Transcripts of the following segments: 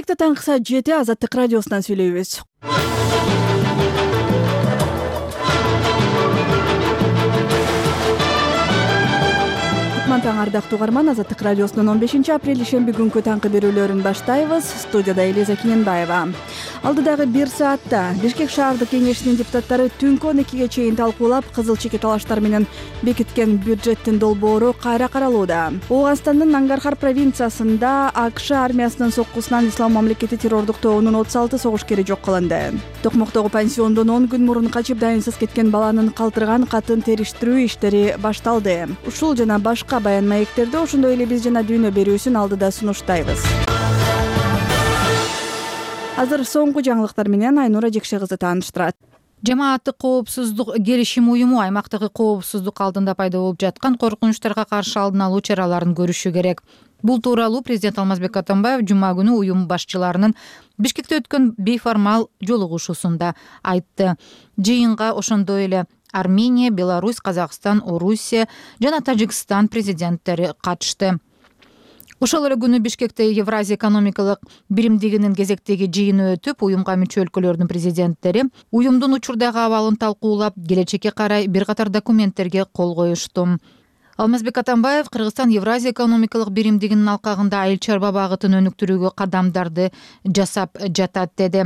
Бишкекте таңкы саат 7 Азаттык радиосунан сүйлөйбүз. Таң ардактуу угарман, Азаттык радиосунун 15-апрель ишемби күнкү таңкы берүүлөрүн баштайбыз. Студияда Элиза Кененбаева. Алдыдагы 1 саатта Бишкек шаардык кеңешинин депутаттары түнкү 12ге чейин талкуулап, кызыл чеке талаштар менен бекиткен бюджеттин долбоору кайра каралууда. Ооганстандын Нангархар провинциясында АКШ армиясынын соккусунан Ислам мамлекети террордук тобунун 36 согушкери жок кылынды. Токмоктогу пансиондон 10 күн мурун качып дайынсыз кеткен баланын калтырган катын териштирүү иштери башталды. Ушул жана башка баян маектерди ошондой эле биз жана дүйнө берүүсүн алдыда сунуштайбыз. Азыр соңку жаңылыктар менен Айнура Жекше кызы тааныштырат. Жамааттык коопсуздук келишим уюму аймактагы коопсуздук алдында пайда болуп жаткан коркунучтарга каршы алдын алуу чараларын көрүшү керек. Бул тууралуу президент Алмазбек Атамбаев жума күнү уюм башчыларынын Бишкекте өткөн бейформал жолугушуусунда айтты. Жыйынга ошондой эле Армения, Беларусь, Казакстан, Орусия жана Тажикстан президенттери катышты. Ошол эле күнү Бишкекте Евразия экономикалык биримдигинин кезектеги жыйыны өтүп, уюмга мүчө өлкөлөрдүн президенттери уюмдун учурдагы абалын талкуулап, келечекке карай бир катар документтерге кол коюшту. Алмазбек Атамбаев Кыргызстан Евразия экономикалык биримдигинин алкагында айыл чарба багытын өнүктүрүүгө кадамдарды жасап жатат деди.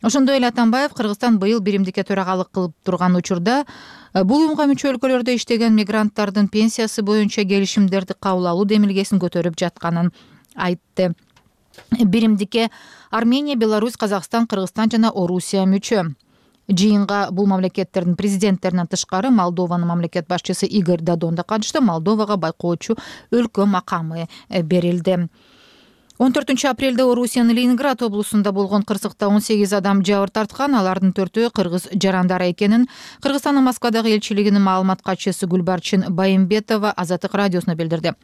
Ошондой эле Атамбаев Кыргызстан быйыл биримдикке төрагалык кылып турган учурда бул уюмга мүчө өлкөлөрдө иштеген мигранттардын пенсиясы боюнча келишимдерди кабыл алуу демилгесин көтөрүп жатканын айтты. Биримдикке Армения, Беларусь, Казакстан, Кыргызстан жана Орусия мүчө. Жыйынга бул мамлекеттердин президенттеринен тышкары Молдованын мамлекет башчысы Игорь Додон да катышты. Молдовага байкоочу өлкө макамы берилди. 14-апрелде Орусиянын Ленинград облусунда болгон кырсыкта 18 адам жабыр тарткан, алардын 4-өө кыргыз жарандары экенин Кыргызстандын Москвадагы элчилигинин маалымат катчысы Гүлбарчин Байымбетова Азаттык радиосуна билдирди.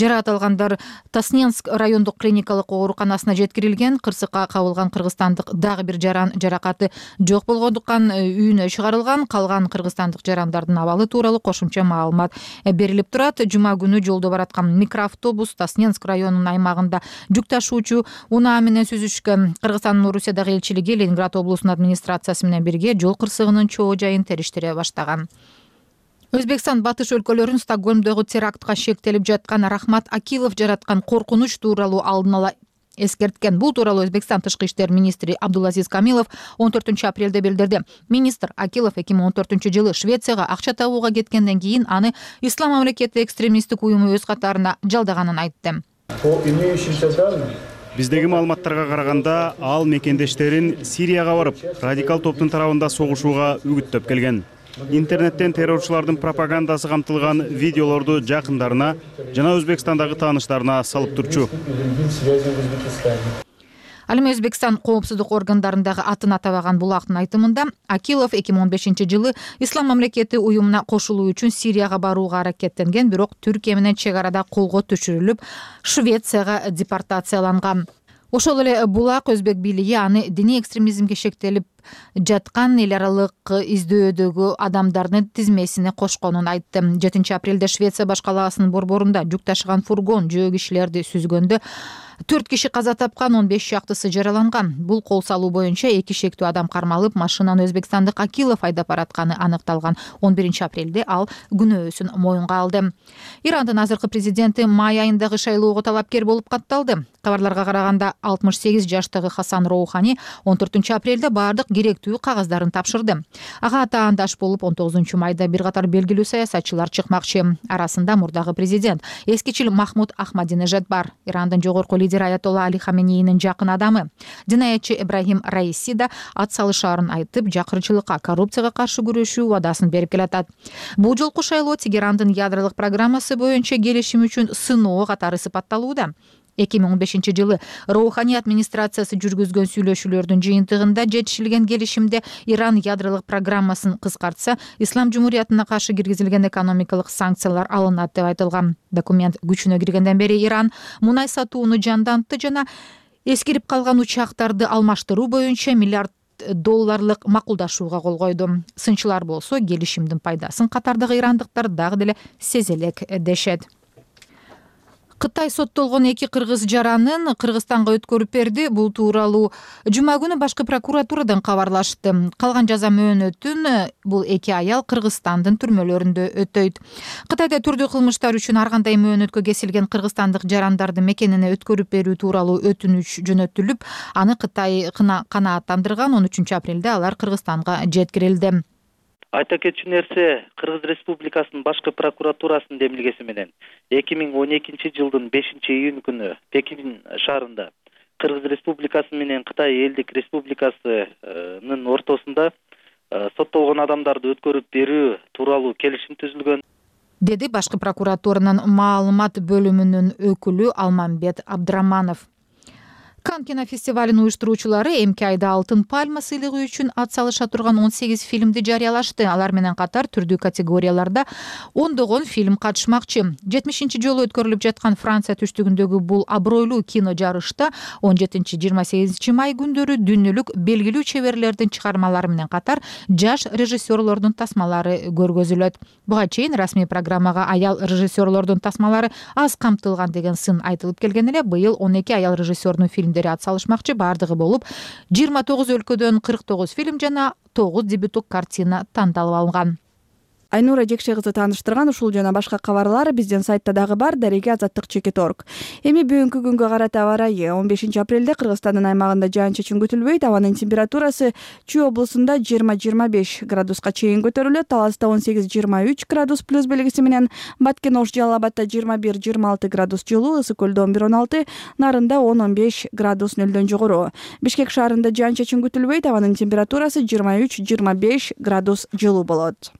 Жаракат алгандар Тасненск райондук клиникалык ооруканасына жеткирилген. Кырсыкка кабылган кыргызстандык дагы бир жаран жаракаты жок болгондуктан үйүнө чыгарылган. Калган кыргызстандык жарандардын абалы тууралуу кошумча маалымат берилип турат. Жума күнү жолдо бараткан микроавтобус Тасненск районунун аймагында ташуучу унаа менен сүзүшкөн. Кыргызстандын Орусиядагы элчилиги Ленинград облусунун администрациясы менен бирге жол кырсыгынын чоо жайын териштире баштаган. Өзбекстан батыш өлкөлөрүн Стокгольмдогу терактка шектелип жаткан Рахмат Акилов жараткан коркунуч тууралуу алдын ала эскерткен. Бул тууралуу Өзбекстан тышкы иштер министри Абдулазиз Камилов 14-апрелде билдирди. Министр Акилов 2014-жылы Швецияга акча табууга кеткенден кийин аны Ислам мамлекети экстремисттик уюму өз катарына жалдаганын айтты. Биздеги маалыматтарга караганда, ал мекендештерин Сирияга барып, радикал топтун тарабында согушууга үгүттөп келген. Интернеттен террорчулардын пропагандасы камтылган видеолорду жакындарына жана Өзбекстандагы тааныштарына салып турчу. Ал эми Өзбекстан коопсуздук органдарындагы атын атабаган булактын айтымында Акилов 2015-жылы Ислам мамлекети уюмуна кошулуу үчүн Сирияга барууга аракеттенген, бирок Түркия менен чек арада колго түшүрүлүп, Швецияга депортацияланган. Ошол эле булак өзбек бийлиги аны диний экстремизмге шектелип жаткан эл аралык издөөдөгү адамдардын тизмесине кошконун айтты. 7-апрелде Швеция баш калаасынын борборунда жүк ташыган фургон жөө кишилерди сүзгөндө 4 киши каза тапкан, 15 шактысы жараланган. Бул кол салуу боюнча 2 шектүү адам кармалып, машинаны өзбекстандык Акилов айдап баратканы аныкталган. 11-апрелде ал күнөөсүн моюнга алды. Ирандын азыркы президенти май айындагы шайлоого талапкер болуп катталды. Кабарларга караганда 68 жаштагы Хасан Роухани 14-апрелде бардык керектүү кагаздарын тапшырды. Ага атаандаш болуп 19-майда бир катар белгилүү саясатчылар чыкмакчы. Арасында мурдагы президент эскичил Махмуд Ахмадинежад бар. Ирандын жогорку лидери Аятолла Али Хаменейнин жакын адамы. Жинаятчы Ибрахим Раиси да ат салышаарын айтып, жакырчылыкка, коррупцияга каршы күрөшүү убадасын берип келатат. Бул жолку шайлоо Тегерандын ядролук программасы боюнча келишим үчүн сыноо катары сыпатталууда. 2015-жылы Роухани администрациясы жүргүзгөн сүйлөшүүлөрдүн жыйынтыгында жетишилген келишимде Иран ядролук программасын кыскартса, Ислам жумуриятына каршы киргизилген экономикалык санкциялар алынат деп айтылган. Документ күчүнө киргенден бери Иран мунай сатууну жандантты жана эскирип калган учактарды алмаштыруу боюнча миллиард долларлык макулдашууга кол койду. Сынчылар болсо келишимдин пайдасын катардагы ирандыктар дагы деле сезе элек дешет. Кытай соттолгон 2 кыргыз жаранын Кыргызстанга өткөрүп берди. Бул тууралуу жума күнү башкы прокуратурадан кабарлашты. Калган жаза мөөнөтүн бул 2 аял Кыргызстандын түрмөлөрүндө өтөйт. Кытайда түрдүү кылмыштар үчүн ар кандай мөөнөткө кесилген кыргызстандык жарандарды мекенине өткөрүп берүү тууралуу өтүнүч жөнөтүлүп, аны Кытай канааттандырган. 13 апрелде алар Кыргызстанга жеткирилди. Айта кетчү нерсе, Кыргыз Республикасынын башкы прокуратурасынын демилгеси менен 2012 жылдын 5-июнь күнү Пекин шаарында Кыргыз Республикасы менен Кытай Элдик Республикасынын ортосунда соттолгон адамдарды өткөрүп берүү тууралуу келишим түзүлгөн, деди башкы прокуратуранын маалымат бөлүмүнүн өкүлү Алмамбет Абдыраманов. Кан кинофестивалынын уюштуруучулары эмки айда Алтын пальма сыйлыгы үчүн ат салыша турган 18 фильмди жарыялашты. Алар менен катар түрдүү категорияларда ондогон фильм катышмакчы. 70-жолу өткөрүлүп жаткан Франция түштүгүндөгү бул абройлуу кино жарышта 17-28 май күндөрү дүйнөлүк белгилүү чеберлердин чыгармалары менен катар жаш режиссерлордун тасмалары көргөзүлөт. Буга чейин расмий программага аял режиссерлордун тасмалары аз камтылган деген сын айтылып келген эле, быйыл 12 аял режиссердун фильмдери ат салышмакчы. Бардыгы болуп 29 өлкөдөн 49 фильм жана 9 дебюттук картина тандалып алынган. Айнура Жекше кызы тааныштырган ушул жана башка кабарлар биздин сайтта дагы бар. Дареге Азаттык.org. Эми бүгүнкү күнгө карата аба ырайы. 15 апрелде Кыргызстандын аймагында жаан-чачын күтүлбөйт. Абанын температурасы Чүй облусунда 20-25 градуска чейин көтөрүлөт. Таласта 18-23 градус плюс белгиси менен, Баткен Ош Жалал Абадда 21-26 градус жылуу, Ысык Көлдө 11-16, Нарында 10-15 градус нөлдөн жогору. Бишкек шаарында жаан-чачын күтүлбөйт. Абанын температурасы 23-25 градус жылуу болот.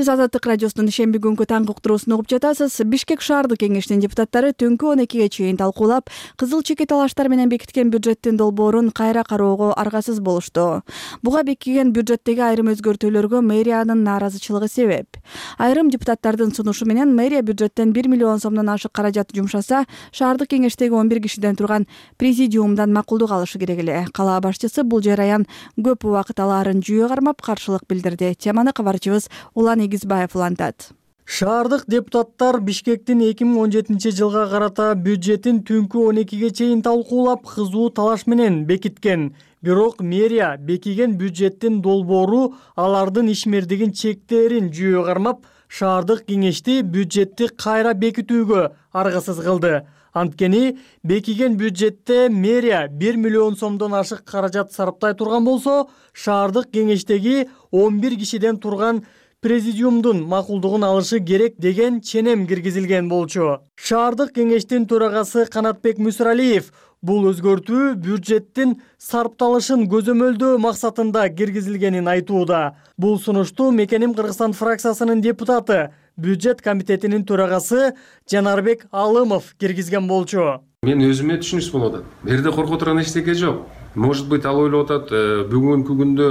Сиз Азаттык радиосунун ишемби күнгү таңкы уктуруусун угуп жатасыз. Бишкек шаардык кеңешинин депутаттары түнкү 12ге чейин талкуулап, кызыл чеке талаштар менен бекиткен бюджеттин долбоорун кайра кароого аргасыз болушту. Буга бекиген бюджеттеги айрым өзгөртүүлөргө мэриянын нааразычылыгы себеп. Айрым депутаттардын сунушу менен мэрия бюджеттен 1 миллион сомдон ашык каражат жумшаса, шаардык кеңештеги 11 кишиден турган президиумдан макулдук алышы керек эле. Кала башчысы бул жараян көп убакыт алаарын жүйө кармап каршылык билдирди. Теманы кабарчыбыз Улан Игизбаев улантат. Шаардык депутаттар Бишкектин 2017 жылга карата бюджетин түнкү 12ге чейин талкуулап, кызуу талаш менен бекиткен. Бирок мэрия бекиген бюджеттин долбоору алардын ишмердигин чектерин жүйө кармап, шаардык кеңешти бюджетти кайра бекитүүгө аргасыз кылды. Анткени бекиген бюджетте мэрия 1 миллион сомдон ашык каражат сарптай турган болсо, шаардык кеңештеги 11 кишиден турган президиумдун макулдугун алышы керек деген ченем киргизилген болчу. Шаардык кеңештин төрагасы Канатбек Мүсүралиев бул өзгөртүү бюджеттин сарпталышын көзөмөлдөө максатында киргизилгенин айтууда. Бул сунушту Мекеним Кыргызстан фракциясынын депутаты, бюджет комитетинин төрагасы Жанарбек Алымов киргизген болчу. Мен өзүмө түшүнүксүз болуп атат. Бул жерде коркуп турган эчтеке жок. Может быть, ал ойлоп атат, бүгүнкү күндө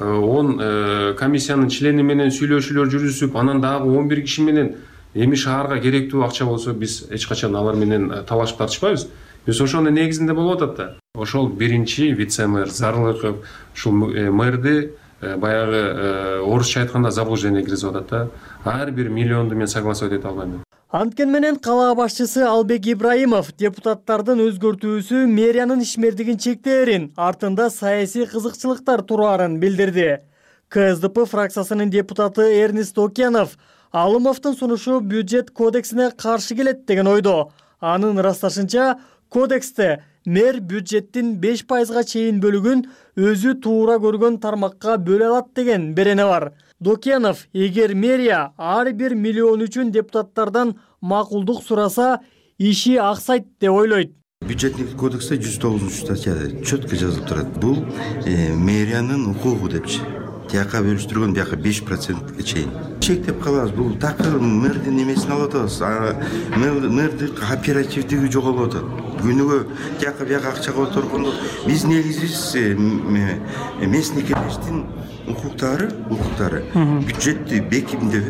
10 комиссиянын члени менен сүйлөшүүлөр жүрүзүп, анан дагы 11 киши менен эми шаарга керектүү акча болсо, биз эч качан алар менен талашып тартышпайбыз. Биз ошонун негизинде болуп атат да. Ошол биринчи вице-мэр Зарлыков ушул мэрди баягы орусча айтканда заблуждение киргизип атат да. Ар бир миллионду мен согласовать эте албайм. Анткен менен кала башчысы Албек Ибраимов депутаттардын өзгөртүүсү мэриянын ишмердигин чектерин, артында саясий кызыкчылыктар тураарын билдирди. КСДП фракциясынын депутаты Эрнест Окенов Алымовдун сунушу бюджет кодексине каршы келет деген ойдо. Анын ырасташынча, кодексте мэр бюджеттин 5%га чейин бөлүгүн өзү туура көргөн тармакка бөлө алат деген берене бар. Докенов, эгер мэрия ар бир миллион үчүн депутаттардан макулдук сураса, иши аксайт деп ойлойт. Бюджеттик кодексте 109 статьяда четко жазылып турат. Бул мэриянын укугу депчи. Тияка бөлүштүргөн бияка 5%га чейин. Чектеп калабыз. Бул такыр мэрдин эмесин алып атабыз. Мэрдин оперативдиги жоголуп атат. Күнүгө тияка бияка акча которгондо биз негизибиз местный кеңештин укуктары бюджетти бекимде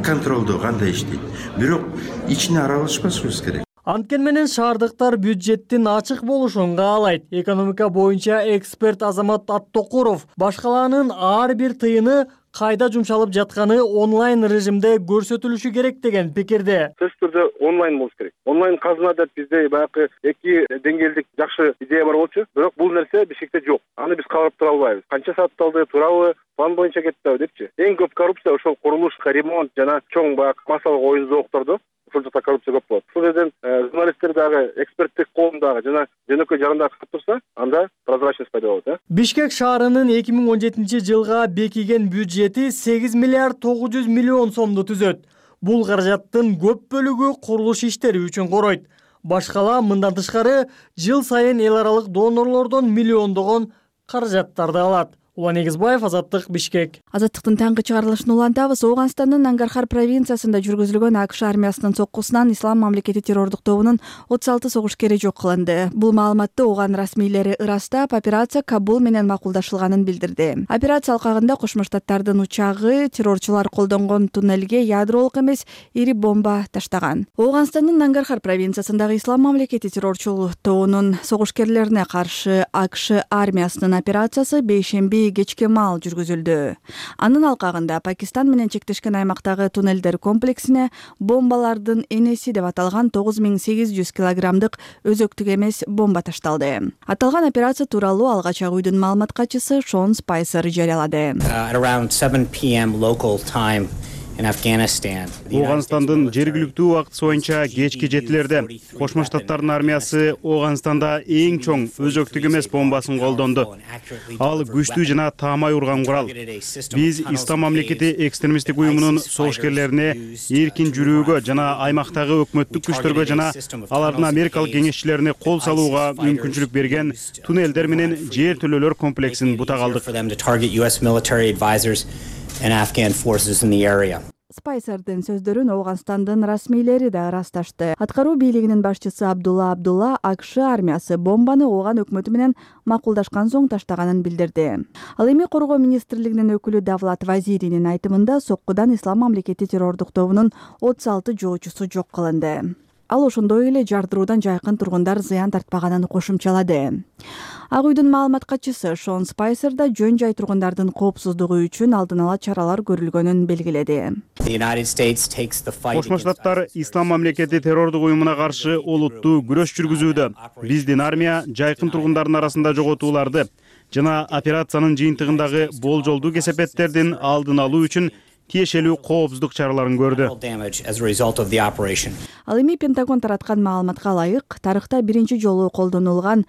контролдоо кандай иштейт. Бирок ичине аралашпашыбыз керек. Анткени менен шаардыктар бюджеттин ачык болушун каалайт. Экономика боюнча эксперт Азамат Аттокуров башкалаанын ар бир тыйыны кайда жумшалып жатканы онлайн режимде көрсөтүлүшү керек деген пикирде. Сөзсүз түрдө онлайн болуш керек. Онлайн казына деп бизде баягы эки деңгээлдик жакшы идея бар болчу, бирок бул нерсе Бишкекте жок. Аны биз кабарып тура албайбыз. Канча сатталды, туурабы, план боюнча кетпеби депчи. Эң көп коррупция ошол курулуш, ремонт жана чоң баягы массалык оюн зооктордо ошол жакта коррупция көп болот. Ошол жерден журналисттер дагы эксперттик коомдагы жана жөнөкөй жагында катып турса, анда прозрачность пайда болот. Бишкек шаарынын 2017 жылга бекиген бюджети 8 миллиард 900 миллион сомду түзөт. Бул каражаттын көп бөлүгү курулуш иштери үчүн коройт. Башкала мындан тышкары жыл сайын эл аралык донорлордон миллиондогон каражаттарды алат. Улан Эгизбаев, Азаттык, Бишкек. Азаттыктын таңкы чыгарылышын улантабыз. Ооганстандын Нангархар провинциясында жүргүзүлгөн АКШ армиясынын соккусунан Ислам мамлекети террордук тобунун 36 согушкери жок кылынды. Бул маалыматты ооган расмийлери ырастап, операция Кабул менен макулдашылганын билдирди. Операция алкагында Кошмо Штаттардын учагы террорчулар колдонгон туннелге ядролук эмес ири бомба таштаган. Ооганстандын Нангархар провинциясындагы Ислам мамлекети террорчул тобунун согушкерлерине каршы АКШ армиясынын операциясы бейшемби кечке маал жүргүзүлдү. Анын алкагында Пакистан менен чектешкен аймактагы туннелдер комплексине бомбалардын энеси деп аталган 9800 килограммдык өзөктүк эмес бомба ташталды. Аталган операция тууралуу алгач ак үйдүн маалымат катчысы Шон Спайсер жарыялады. Around 7 p.m. local time in Afghanistan. Ооганстандын жергиликтүү убакыты боюнча кечки 7-лерде Кошмо Штаттардын армиясы Ооганстанда эң чоң өзөктүк эмес бомбасын колдонду. Ал күчтүү жана таамай урган курал. Биз Ислам мамлекети экстремисттик уюмунун согушкерлерине эркин жүрүүгө жана аймактагы өкмөттүк күчтөргө жана алардын америкалык кеңешчилерине кол салууга мүмкүнчүлүк берген туннелдер менен жер төлөөлөр комплексин бута калдык. And Afghan forces in the area. Спайсердин сөздөрүн Ооганстандын расмийлери да ырасташты. Аткаруу бийлигинин башчысы Абдулла АКШ армиясы бомбаны ооган өкмөтү менен макулдашкан соң таштаганын билдирди. Ал эми коргоо министрлигинин өкүлү Давлат Вазиринин айтымында соккудан Ислам мамлекети террордук тобунун 36 жоочусу жок кылынды. Ал ошондой эле жардыруудан жайкын тургундар зыян тартпаганын кошумчалады. Ак үйдүн маалымат катчысы Шон Спайсер да жөн жай тургундардын коопсуздугу үчүн алдын ала чаралар көрүлгөнүн белгиледи. Кошмо Штаттар Ислам мамлекети террордук уюмуна каршы олуттуу күрөш жүргүзүүдө. Биздин армия жайкын тургундардын арасында жоготууларды жана операциянын жыйынтыгындагы болжолдуу кесепеттердин алдын алуу үчүн тиешелүү коопсуздук чараларын көрдү. Ал эми Пентагон тараткан маалыматка ылайык, тарыхта биринчи жолу колдонулган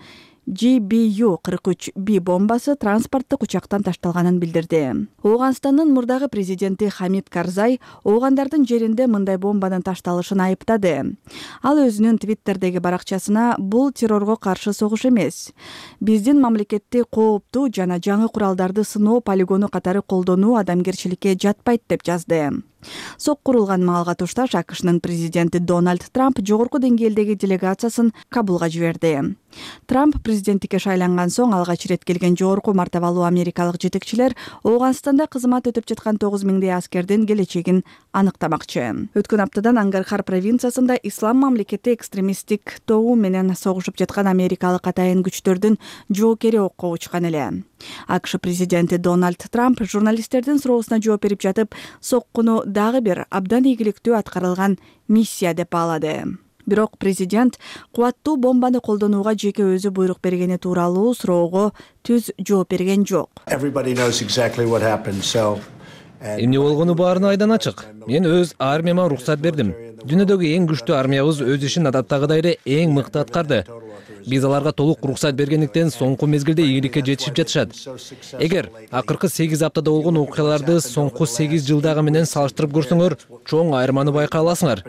GBU-43B бомбасы транспорттук учактан ташталганын билдирди. Ооганстандын мурдагы президенти Хамид Карзай оогандардын жеринде мындай бомбанын ташталышын айыптады. Ал өзүнүн Твиттердеги баракчасына бул террорго каршы согуш эмес, биздин мамлекетти кооптуу жана жаңы куралдарды сыноо полигону катары колдонуу адамгерчиликке жатпайт деп жазды. Сок курулган маалга тушташ АКШнын президенти Дональд Трамп жогорку деңгээлдеги делегациясын Кабулга жиберди. Трамп президенттикке шайланган соң алгач ирет келген жогорку мартабалуу америкалык жетекчилер Ооганстанда кызмат өтөп жаткан 9000 аскердин келечегин аныктамакчы. Өткөн аптадан Нангархар провинциясында Ислам мамлекети экстремисттик тобу менен согушуп жаткан америкалык атайын күчтөрдүн жоокери окко учкан эле. АКШ президенти Дональд Трамп журналисттердин суроосуна жооп берип жатып, соккуну дагы бир абдан ийгиликтүү аткарылган миссия деп баалады. Бирок президент кубаттуу бомбаны колдонууга жеке өзү буйрук бергени тууралуу суроого түз жооп берген жок. Эмне болгону баарына айдан ачык. Мен өз армияма рухсат бердим. Дүйнөдөгү эң күчтүү армиябыз өз ишин адаттагыдай эле эң мыкты аткарды. Биз аларга толук рухсат бергендиктен соңку мезгилде ийгиликке жетишип жатышат. Эгер акыркы 8 аптада болгон окуяларды соңку 8 жылдагы менен салыштырып көрсөңөр, чоң айырманы байкай аласыңар.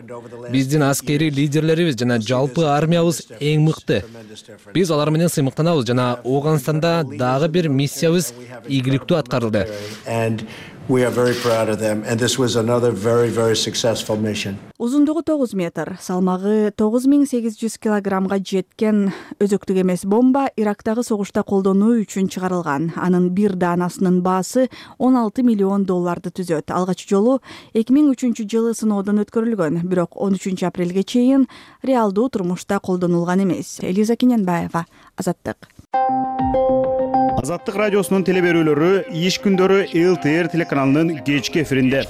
Биздин аскери лидерлерибиз жана жалпы армиябыз эң мыкты. Биз алар менен сыймыктанабыз жана Ооганстанда дагы бир миссиябыз ийгиликтүү аткарылды. We are very proud of them, and this was another very successful mission. Узундугу 9 метр, салмагы 9800 килограммга жеткен өзөктүк эмес бомба Ирактагы согушта колдонуу үчүн чыгарылган. Анын бир даанасынын баасы $16 миллион түзөт. Алгач жолу 2003-жылы сыноодон өткөрүлгөн, бирок 13 апрелге чейин реалдуу турмушта колдонулган эмес. Элиза Кененбаева, Азаттык. Азаттык радиосунун телеберүүлөрү иш күндөрү ЛТР телеканалынын кечки эфиринде.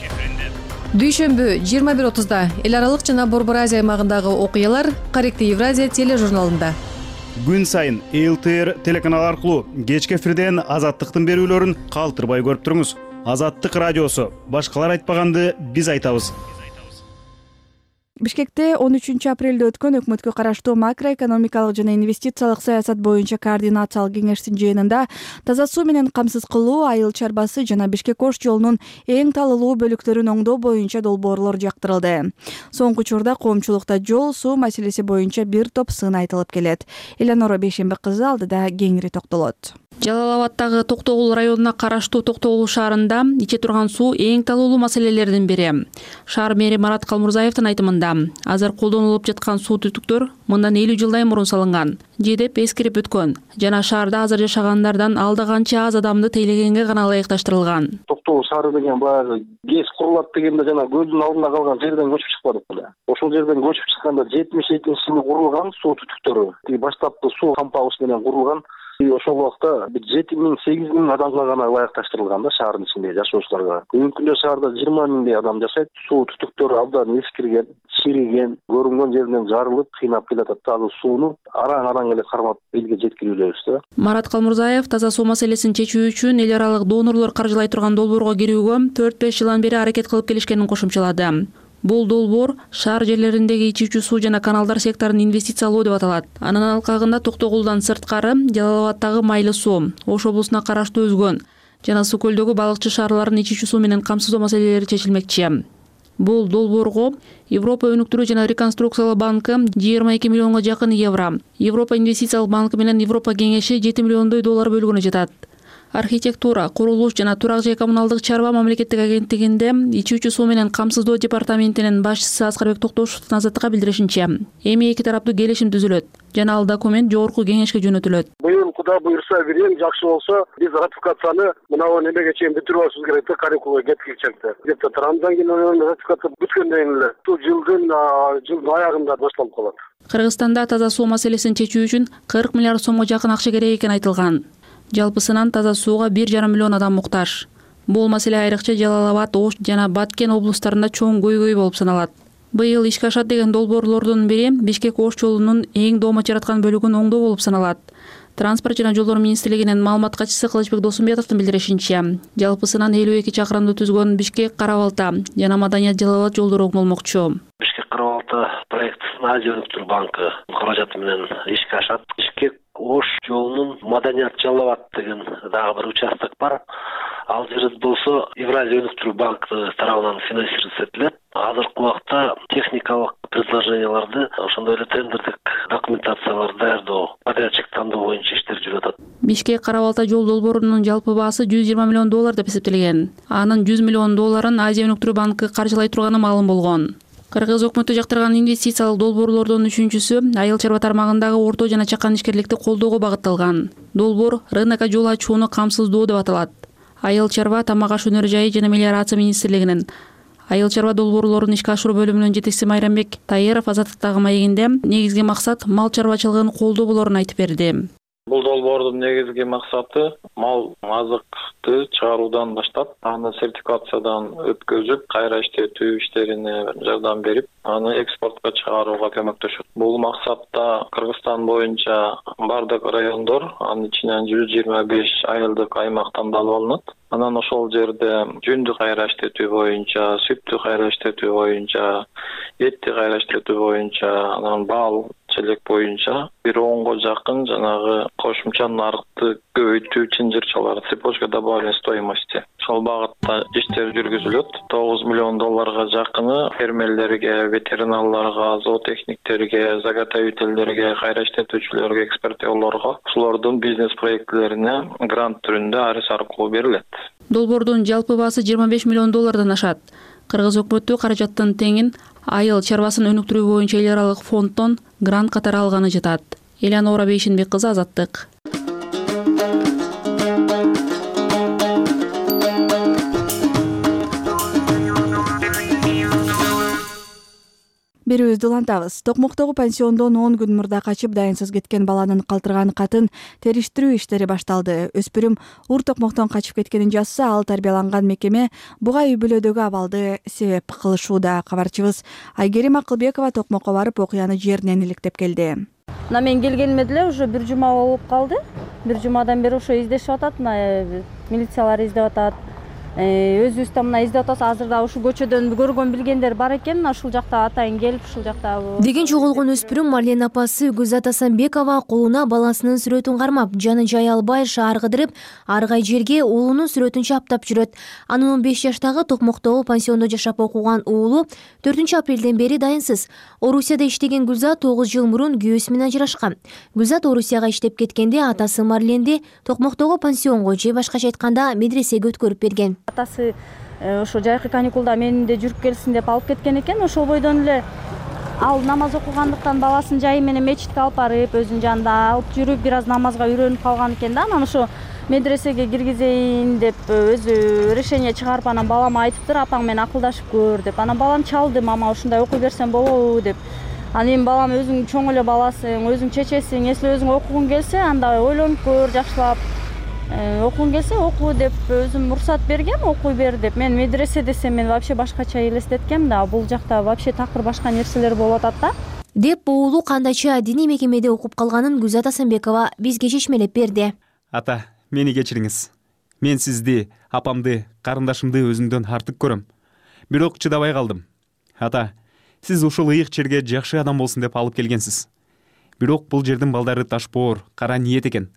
Дүйшөмбү 21:30 эл аралык жана Борбор Азия аймагындагы окуялар Корректив Евразия тележурналында. Күн сайын ЛТР телеканалы аркылуу кечки эфирден Азаттыктын берүүлөрүн калтырбай көрүп туруңуз. Азаттык радиосу. Башкалар айтпаганды биз айтабыз. Бишкекте 13 апрелде өткөн өкмөткө караштуу макроэкономикалык жана инвестициялык саясат боюнча координациялык кеңештин жыйынында таза суу менен камсыз кылуу, айыл чарбасы жана Бишкек-Ош жолунун эң талылуу бөлүктөрүн оңдоо боюнча долбоорлор жактырылды. Соңку учурда коомчулукта жол, суу маселеси боюнча бир топ сын айтылып келет. Эланора Бейшембек кызы алдыда кеңири токтолот. Жалал-Абадтагы Токтогул районуна караштуу Токтогул шаарында иче турган суу эң талуулуу маселелердин бири. Шаар мэри Марат Калмурзаевдин айтымында, азыр колдонулуп жаткан суу түтүктөр мындан 50 жылдай мурун салынган, же деп эскерип өткөн жана шаарда азыр жашагандардан алда канча аз адамды тейлегенге гана ылайыкташтырылган. Токтогул шаары деген баягы ГЭС курулат дегенде жана көлдүн алдында калган жерден көчүп чыкпадык беле. Ошол жерден көчүп чыкканда 72-жылы курулган суу түтүктөрү, баштапкы суу кампагыш менен курулган. Ошол убакта 7-8 адамга гана ылайыкташтырылган да шаардын ичинде жашоочуларга. Бүгүнкү күндө шаарда 20 миңдей адам жашайт. Суу түтүктөрү абдан эскирген, чириген, көрүнгөн жеринен жарылып, кыйнап келатат. Азыр сууну араң эле кармап элге жеткирүүлөбүз да. Марат Калмурзаев таза суу маселесин чечүү үчүн эл аралык донорлор каржылай турган долбоорго кирүүгө 4-5 жылдан бери аракет кылып келишкенин кошумчалады. Бул долбоор шаар жерлериндеги ичүүчү суу жана каналдар секторун инвестициялоо деп аталат. Анын алкагында Токтогулдан сырткары Жалал-Абадтагы Майлы суу, Ош облусуна караштуу Өзгөн жана Суу көлдөгү балыкчы шаарларын ичүүчү суу менен камсыздоо маселелери чечилмекчи. Бул долбоорго Европа өнүктүрүү жана реконструкциялоо банкы 22 миллионго жакын евро, Европа инвестициялык банкы менен Европа кеңеши $7 миллиондой бөлгөнү жатат. Архитектура, курулуш жана турак жай коммуналдык чарба мамлекеттик агенттигинде ичүүчү суу менен камсыздоо департаментинин башчысы Аскарбек Токтошевдун Азаттыкка билдиришинче, эми эки тараптуу келишим түзүлөт жана ал документ жогорку кеңешке жөнөтүлөт. Быйыл Кудай буйрса бирин жакшы болсо, биз ратификацияны мынау немеге чейин бүтүрүп алышыбыз керек да, Карикулга жеткирчекте. Депутаттар андан кийин ратификация бүткөндөн кийин эле жылдын аягында башталып калат. Кыргызстанда таза суу маселесин чечүү үчүн 40 миллиард сомго жакын акча керек экени айтылган. Жалпысынан таза сууга 1,5 миллион адам муктаж. Бул маселе айрыкча Жалал-Абад, Ош жана Баткен облустарында чоң көйгөй болуп саналат. Быйыл ишке ашат деген долбоорлордун бири Бишкек-Ош жолунун эң доомат жараткан бөлүгүн оңдоо болуп саналат. Транспорт жана жолдор министрлигинин маалымат катчысы Кылычбек Досумбетовдун билдиришинче, жалпысынан 52 чакырымды түзгөн Бишкек-Карабалта жана Маданият-Жалал-Абад жолдору оңдолмокчу. Бишкек-Карабалта проектисин Азия өнүктүрүү банкы каражаты менен ишке ашат. Бишкек-Ош жолунун Маданият-Жалал-Абад деген дагы бир участок бар. Ал жер болсо Евразия өнүктүрүү банкы тарабынан финансироваться этилет. Азыркы убакта техникалык предложенияларды, ошондой эле тендердик документацияларды даярдоо, подрядчик тандоо боюнча иштер жүрүп атат. Бишкек-Карабалта жол долбоорунун жалпы баасы $120 миллион деп эсептелген. Анын $100 миллион Азия өнүктүрүү банкы каржылай турганы маалым болгон. Кыргыз өкмөтү жактырган инвестициялык долбоорлордун үчүнчүсү айыл чарба тармагындагы орто жана чакан ишкерликти колдоого багытталган. Долбоор рынокко жол ачууну камсыздоо деп аталат. Айыл чарба, тамак аш өнөр жайы жана мелиорация министрлигинин айыл чарба долбоорлорун ишке ашыруу бөлүмүнүн жетекчиси Майрамбек Таиров Азаттыктагы маегинде негизги максат мал чарбачылыгын колдоо болорун айтып берди. Бул долбоордун негизги максаты мал азыкты чыгаруудан баштап, аны сертификациядан өткөзүп, кайра иштетүү иштерине жардам берип, аны экспортко чыгарууга көмөктөшөт. Бул максатта Кыргызстан боюнча бардык райондор, анын ичинен 125 айылдык аймак тандалып алынат. Анан ошол жерде жүндү кайра иштетүү боюнча, сүттү кайра иштетүү боюнча, этти кайра иштетүү боюнча, анан бал, челек боюнча бир 10го жакын жанагы кошумча нарыкты көбөйтүү чынжырчалар, цепочка добавленной стоимости. Ошол багытта иштер жүргүзүлөт. 9 миллион долларга жакыны фермерлерге, ветеринарларга, зоотехниктерге, заготовительдерге, кайра иштетүүчүлөргө, экспортерлорго ушулордун бизнес проектилерине грант түрүндө арыз аркылуу берилет. Долбоордун жалпы баасы 25 миллион доллардан ашат. Кыргыз өкмөтү каражаттын теңин айыл чарбасын өнүктүрүү боюнча эл аралык фонддон грант катары алганы жатат. Элянора Бейшенбек кызы, Азаттык. Берүүбүздү улантабыз. Токмоктогу пансиондон 10 күн мурда качып дайынсыз кеткен баланын калтырган катын териштирүү иштери башталды. Өспүрүм Ур Токмоктон качып кеткенин жазса, ал тарбияланган мекеме буга үй бүлөдөгү абалды себеп кылышууда. Кабарчыбыз Айгерим Акылбекова Токмокко барып окуяны жеринен иликтеп келди. Мен келгениме деле уже бир жума болуп калды. Бир жумадан бери ошо издешип атат, милициялар издеп атат. Өзүбүз да мына издеп атабыз. Азыр да ушул көчөдөн көргөн билгендер бар экен. Ушул жакта атайын келип, ушул жакта деген жоголгон өспүрүм Марлен апасы Гүлзат Асанбекова колуна баласынын сүрөтүн кармап, жаны жай албай шаар кыдырып, аргай жерге уулунун сүрөтүн чаптап жүрөт. Анын 15 жаштагы Токмоктогу пансиондо жашап окуган уулу 4 апрелден бери дайынсыз. Орусияда иштеген Гүлзат 9 жыл мурун күйөөсү менен ажырашкан. Гүлзат Орусияга иштеп кеткенде атасы Марленди Токмоктогу пансионго же башкача айтканда медресеге өткөрүп берген. Атасы ошо жайкы каникулда менин де жүрүп келсин деп алып кеткен экен. Ошол бойдон эле ал намаз окугандыктан баласын жайы менен мечитке алып барып, өзүнүн жанында алып жүрүп, бир аз намазга үйрөнүп калган экен да. Анан ошо медресеге киргизейин деп өзү решение чыгарып, анан балама айтыптыр, апаң менен акылдашып көр деп. Анан балам чалды, мама ушундай окуй берсем болобу деп. Анан балам өзүң чоң эле баласың, өзүң чечесиң, если өзүң окугуң келсе, анда ойлонуп көр, жакшылап. Окугуң келсе оку деп өзүм уруксат бергем, окуй бер деп. Мен медресе десем, мен вообще башкача элестеткем да, бул жакта вообще такыр башка нерселер болуп атат да. Деп уулу кандайча диний мекемеде окуп калганын Гүлзат Асанбекова бизге чечмелеп берди. Ата, мени кечириңиз. Мен сизди, апамды, карындашымды өзүмдөн артык көрөм. Бирок чыдабай калдым. Ата, сиз ушул ыйык жерге жакшы адам болсун деп алып келгенсиз. Бирок бул жердин балдары ташпоор, кара ниет экен.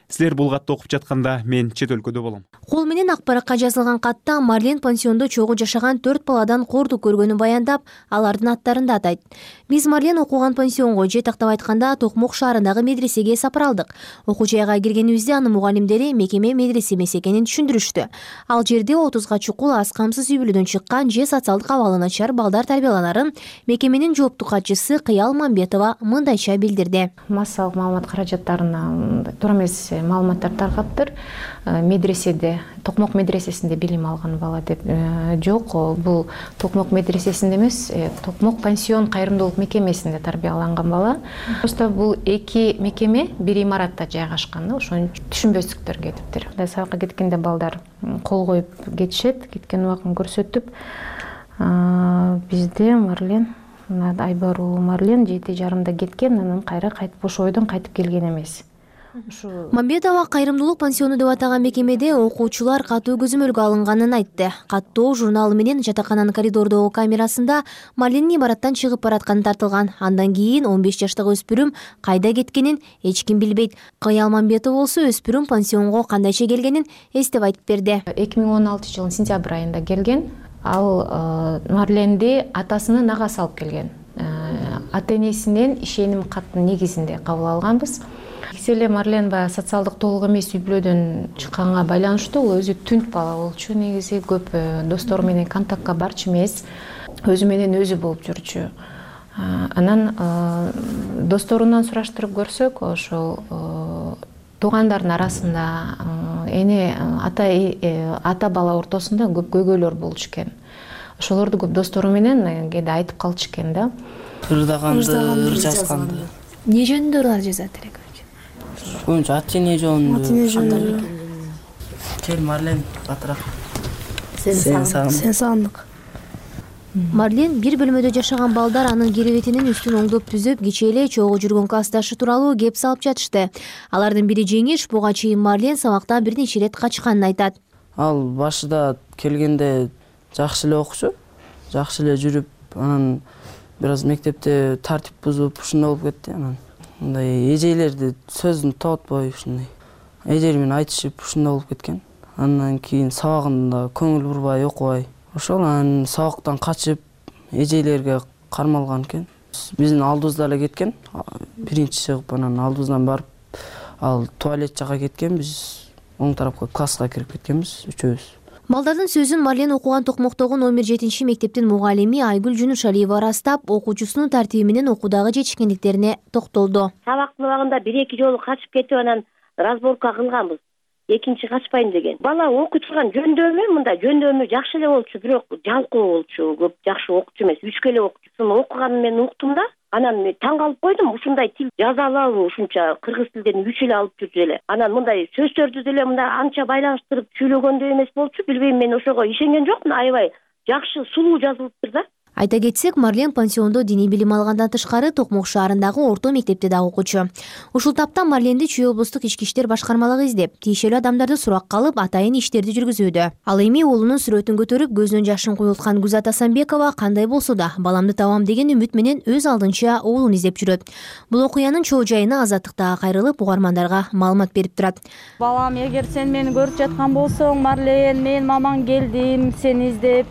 Силер бул катты окуп жатканда мен чет өлкөдө болом. Кол менен ак баракка жазылган катта Марлен пансиондо чогуу жашаган 4 баладан кордук көргөнүн баяндап, алардын аттарын да атайт. Биз Марлен окуган пансионго же тактап айтканда Токмок шаарындагы медресеге сапар алдык. Окуу жайга киргенибизде анын мугалимдери мекеме медресе эмес экенин түшүндүрүштү. Ал жерде 30га чукул аз камсыз үй бүлөдөн чыккан же социалдык абалы начар балдар тарбияланарын мекеменин жооптуу катчысы Кыял Мамбетова мындайча билдирди. Массалык маалымат каражаттарына туура эмес маалыматтар таркаптыр. Медреседе, Токмок медресесинде билим алган бала деп жок. Бул Токмок медресесинде эмес, Токмок пансион кайрымдуулук мекемесинде тарбияланган бала. Просто бул эки мекеме бир имаратта жайгашкан, ошону түшүнбөстүктөр кетиптир. Сабакка кеткенде балдар кол коюп кетишет, кеткен убагын көрсөтүп. Бизде Марлен, Айбар Марлен 7:30 кеткен, анан кайра кайтып ошо ойдон кайтып келген эмес. Мамбетова кайрымдуулук пансиону деп атаган мекемеде окуучулар катуу көзөмөлгө алынганын айтты. Каттоо журналы менен жатакананын коридордогу камерасында Марленин имараттан чыгып баратканы тартылган. Андан кийин 15 жаштагы өспүрүм кайда кеткенин эч ким билбейт. Кыял Мамбетова болсо өспүрүм пансионго кандайча келгенин эстеп айтып берди. 2016 жылдын сентябрь айында келген. Ал Марленди атасынын агасы алып келген. Ата-энесинен ишеним каттын негизинде кабыл алганбыз. Эле Марлен баягы социалдык толук эмес үй бүлөдөн чыкканга байланыштуу, ол өзү түнт бала болчу, негизи көп достору менен контактка барчу эмес, өзү менен өзү болуп жүрчү. Анан досторунан сураштырып көрсөк, ошол туугандардын арасында эне ата бала ортосунда көп көйгөйлөр болчу экен. Ошолорду көп достору менен кээде айтып калчу экен да. Ырдаганды, жазганды. Не жөнүндө ырлар жазат элек? Боюнча ат-эне жөнүндө. Кел Марлен батыраак. Сен сагындык. Марлен бир бөлмөдө жашаган балдар анын керебетинин үстүн оңдоп түзөп, кечээ эле чогуу жүргөн классташы тууралуу кеп салып жатышты. Алардын бири Жеңиш, буга чейин Марлен сабактан бир нече ирет качканын айтат. Ал башында келгенде жакшы эле окучу, жакшы эле жүрүп, анан бир аз мектепте тартип бузуп ушундай болуп кетти. Анан мындай эжелерди сөзүн тоотпой ушундай эжели менен айтышып ушундай болуп кеткен. Андан кийин сабагында көңүл бурбай окубай ошол анан сабактан качып эжелерге кармалган экен. Биздин алдыбызда эле кеткен. Биринчи чыгып анан алдыбыздан барып ал туалет жака кеткен. Биз оң тарапка класска кирип кеткенбиз үчөөбүз. Балдардын сөзүн Марлен окуган Токмоктогу номер 7 мектептин мугалими Айгүл Жунушалиева ырастап, окуучусунун тартиби менен окуудагы жетишкендиктерине токтолду. Сабактын убагында 1-2 жолу качып кетип анан разборка кылганбыз. Экинчи качпайм деген. Бала окуй турган жөндөмү мындай жөндөмү жакшы эле болчу, бирок жалкоо болчу, көп жакшы окуучу эмес, үчкө эле окуучу. Окуганын мен уктум да, анан мен таң калып койдум, ушундай тил жаза алабы, ушунча кыргыз тилден 3 эле алып жүрчү эле. Анан мындай сөздөрдү деле мындай анча байланыштырып сүйлөгөндөй эмес болчу, билбейм, мен ошого ишенген жокмун, аябай жакшы сулуу жазылыптыр да. Айта кетсек, Марлен пансиондо диний билим алгандан тышкары Токмок шаарындагы орто мектепте дагы окуучу. Ушул тапта Марленди Чүй облустук ички иштер башкармалыгы издеп, тиешелүү адамдарды суракка алып, атайын иштерди жүргүзүүдө. Ал эми уулунун сүрөтүн көтөрүп, көзүнөн жашын куюлткан Гүзат Асанбекова кандай болсо да баламды табам деген үмүт менен өз алдынча уулун издеп жүрөт. Бул окуянын чоо жайына Азаттыкта кайрылып, угармандарга маалымат берип турат. Балам, эгер сен мени көрүп жаткан болсоң, Марлен, мен мамаң келдим сени издеп.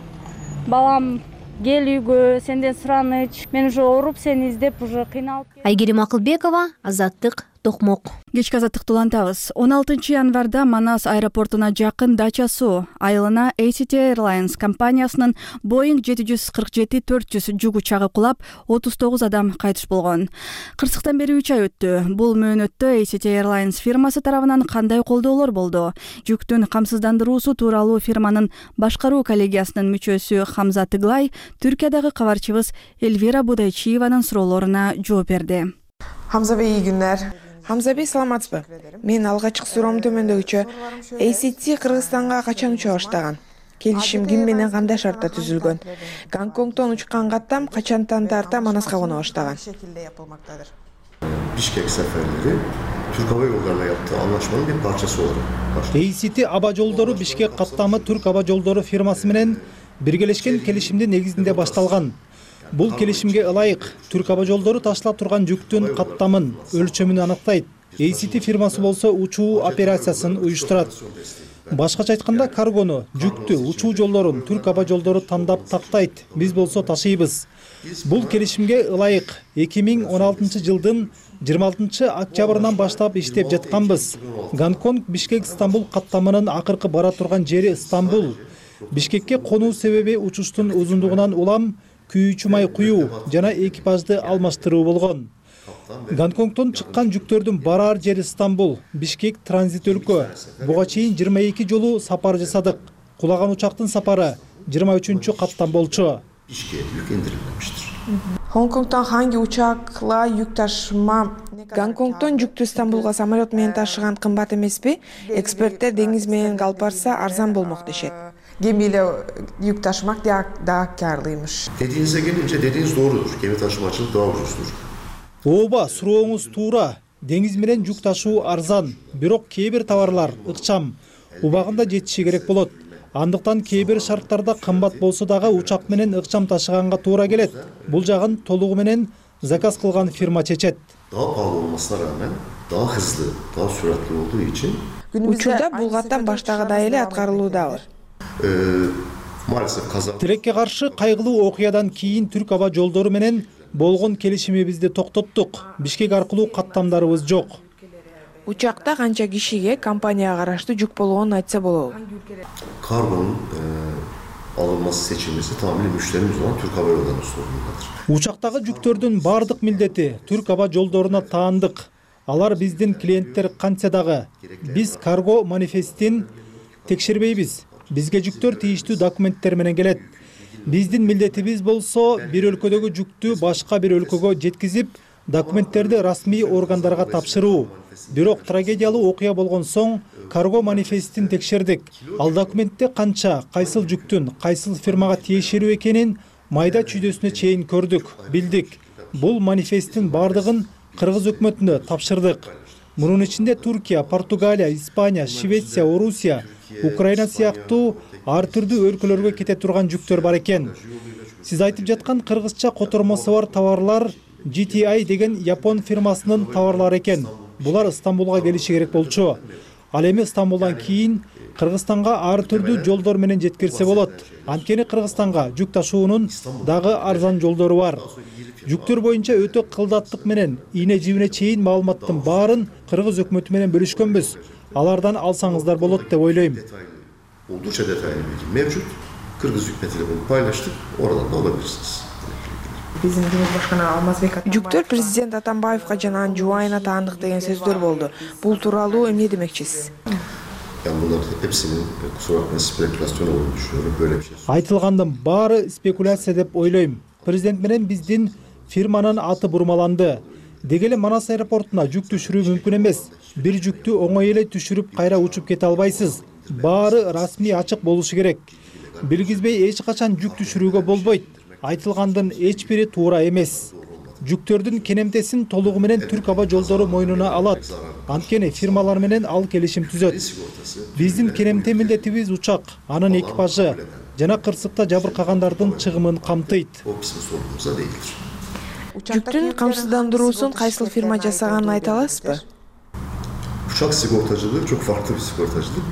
Балам, кел үйгө, сенден сураныч. Мен уже ооруп сени издеп, уже кыйналып. Айгерим Акылбекова, Азаттык, Токмок. Кечки азаттыкты улантабыз. 16 январда Манас аэропортуна жакын Дача Суу айылына ACT Airlines компаниясынын Boeing 747-400 жүк учагы кулап, 39 адам кайтыш болгон. Кырсыктан бери 3 ай өттү. Бул мөөнөттө ACT Airlines фирмасы тарабынан кандай колдоолор болду? Жүктүн камсыздандыруусу тууралуу фирманын башкаруу коллегиясынын мүчөсү Хамза Тыглай Түркиядагы кабарчыбыз Эльвира Будайчиеванын суроолоруна жооп берди. Хамза бей, ий күндөр. Хамза бей, саламатсызбы? Мен алгачкы суроом төмөндөгүчө. ACT Кыргызстанга качан уча баштаган? Келишим ким менен кандай шартта түзүлгөн? Гонконгдон учкан каттам качантан тарта Манаска кона баштаган? Бишкек сапарлары Түрк аба жолдоруна yaptığı anlaşmanın bir parçası olarak. ACT аба жолдору Бишкек каттамы Түрк аба жолдору фирмасы менен биргелешкен келишимдин негизинде башталган. Бул келишимге ылайык Түрк аба жолдору ташталып турган жүктүн каттамын, өлчөмүн аныктайт. ACT фирмасы болсо учуу операциясын уюштурат. Башкача айтканда, каргону, жүктү, учуу жолдорун Түрк аба жолдору тандап тактайт. Биз болсо ташыйбыз. Бул келишимге ылайык 2016 жылдын 26 октябрынан баштап иштеп жатканбыз. Гонконг Бишкек Стамбул каттамынын акыркы бара турган жери Стамбул. Бишкекке конуу себеби учуштун узундугунан улам күйүүчү май куюу жана экипажды алмаштыруу болгон. Гонконгдон чыккан жүктөрдүн барар жери Стамбул, Бишкек транзит өлкө. Буга чейин 22 жолу сапар жасадык. Кулаган учактын сапары 23-чү каттам болчу. Гонконгдон hangi учакла жүк ташыма? Гонконгдон жүктү Стамбулга самолет менен ташыган кымбат эмеспи? Эксперттер деңиз менен алып барса арзан болмок дешет. Gemiyle yük taşımak daha karlıymış. Dediğinize gelince dediğiniz doğrudur. Gemi taşımacılık daha ucuzdur. Ооба, сурооңуз туура. Деңиз менен жүк ташуу арзан, бирок кээ бир товарлар ыкчам, убагында жетиши керек болот. Андыктан кээ бир шарттарда кымбат болсо дагы учак менен ыкчам ташыганга туура келет. Бул жагын толугу менен заказ кылган фирма чечет. Daha pahalı olmasına rağmen daha hızlı, daha süratli olduğu için Учурда бул каттам баштагыдай эле аткарылуудабы. Тилекке каршы кайгылуу окуядан кийин Түрк аба жолдору менен болгон келишимибизди токтоттук. Бишкек аркылуу каттамдарыбыз жок. Учакта канча кишиге компанияга караштуу жүк болгонун айтса болобу? Kargonun alınması seçilmesi tamamıyla müşterimiz olan Türk Hava Yolları'nın sorumluluğudur. Учактагы жүктөрдүн бардык милдети Түрк аба жолдоруна таандык. Алар биздин клиенттер кантса дагы. Биз карго манифестин текшербейбиз. Бизге жүктөр тийиштүү документтер менен келет. Биздин милдетибиз болсо бир өлкөдөгү жүктү башка бир өлкөгө жеткизип, документтерди расмий органдарга тапшыруу. Бирок трагедиялуу окуя болгон соң карго манифестин текшердик. Ал документте канча, кайсыл жүктүн, кайсыл фирмага тиешелүү экенин майда чүйдөсүнө чейин көрдүк, билдик. Бул манифесттин бардыгын кыргыз өкмөтүнө тапшырдык. Мунун ичинде Туркия, Португалия, Испания, Швеция, Орусия, Украина сыяктуу ар түрдүү өлкөлөргө кете турган жүктөр бар экен. Сиз айтып жаткан кыргызча котормосу бар товарлар GTI деген Япон фирмасынын товарлары экен. Булар Стамбулга келиши керек болчу. Ал эми Стамбулдан кийин Кыргызстанга ар түрдүү жолдор менен жеткирсе болот. Анткени Кыргызстанга жүк ташуунун дагы арзан жолдору бар. Жүктөр боюнча өтө кылдаттык менен ийне жибине чейин маалыматтын баарын Кыргыз өкмөтү менен бөлүшкөнбүз. Алардан алсаңыздар болот деп ойлойм. Oldukça detaylı bilgi mevcut. Kırgız hükümetiyle bunu paylaştık. Oradan da alabilirsiniz. Жүктөр президент Атамбаевга жана анын жубайына таандык деген сөздөр болду. Бул тууралуу эмне демекчисиз? Yani bunların hepsinin kusura bakmayın spekülasyon olduğunu düşünüyorum. Böyle bir şey. Айтылгандын баары спекуляция деп ойлойм. Президент менен биздин фирманын аты бурмаланды. Деги эле Манас аэропортуна жүк түшүрүү мүмкүн эмес. Бир жүктү оңой эле түшүрүп кайра учуп кете албайсыз. Баары расмий ачык болушу керек. Билгизбей эч качан жүк түшүрүүгө болбойт. Айтылгандын эч бири туура эмес. Жүктөрдүн кенемтесин толугу менен Түрк аба жолдору мойнуна алат. Анткени фирмалар менен ал келишим түзөт. Биздин кенемте милдетибиз учак, анын экипажы жана кырсыкта жабыркагандардын чыгымын камтыйт. Жүктүн камсыздандыруусун кайсыл фирма жасаганын айта аласызбы? Uçak sigortacılığı çok farklı bir sigortacılık.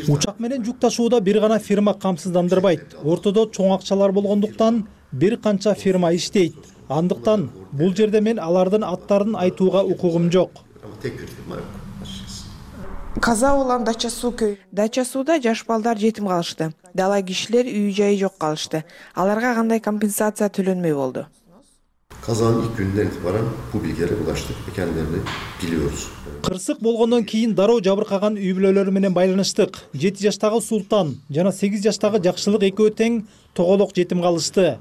Учак менен жүк ташууда бир гана фирма камсыздандырбайт. Ортодо чоң акчалар болгондуктан бир канча фирма иштейт. Андыктан бул жерде мен алардын аттарын айтууга укугум жок. Каза болгон Дача суу көй. Дача сууда жаш балдар жетим калышты. Дала кишилер үй жайы жок калышты. Аларга кандай компенсация төлөнмөй болду? Kazanın ilk günden itibaren bu bilgilere ulaştık ve kendilerini biliyoruz. Кырсык болгондон кийин дароо жабыркаган үй бүлөлөрү менен байланыштык. 7 жаштагы Султан жана 8 жаштагы Жакшылык экөө тең тоголок жетим калышты.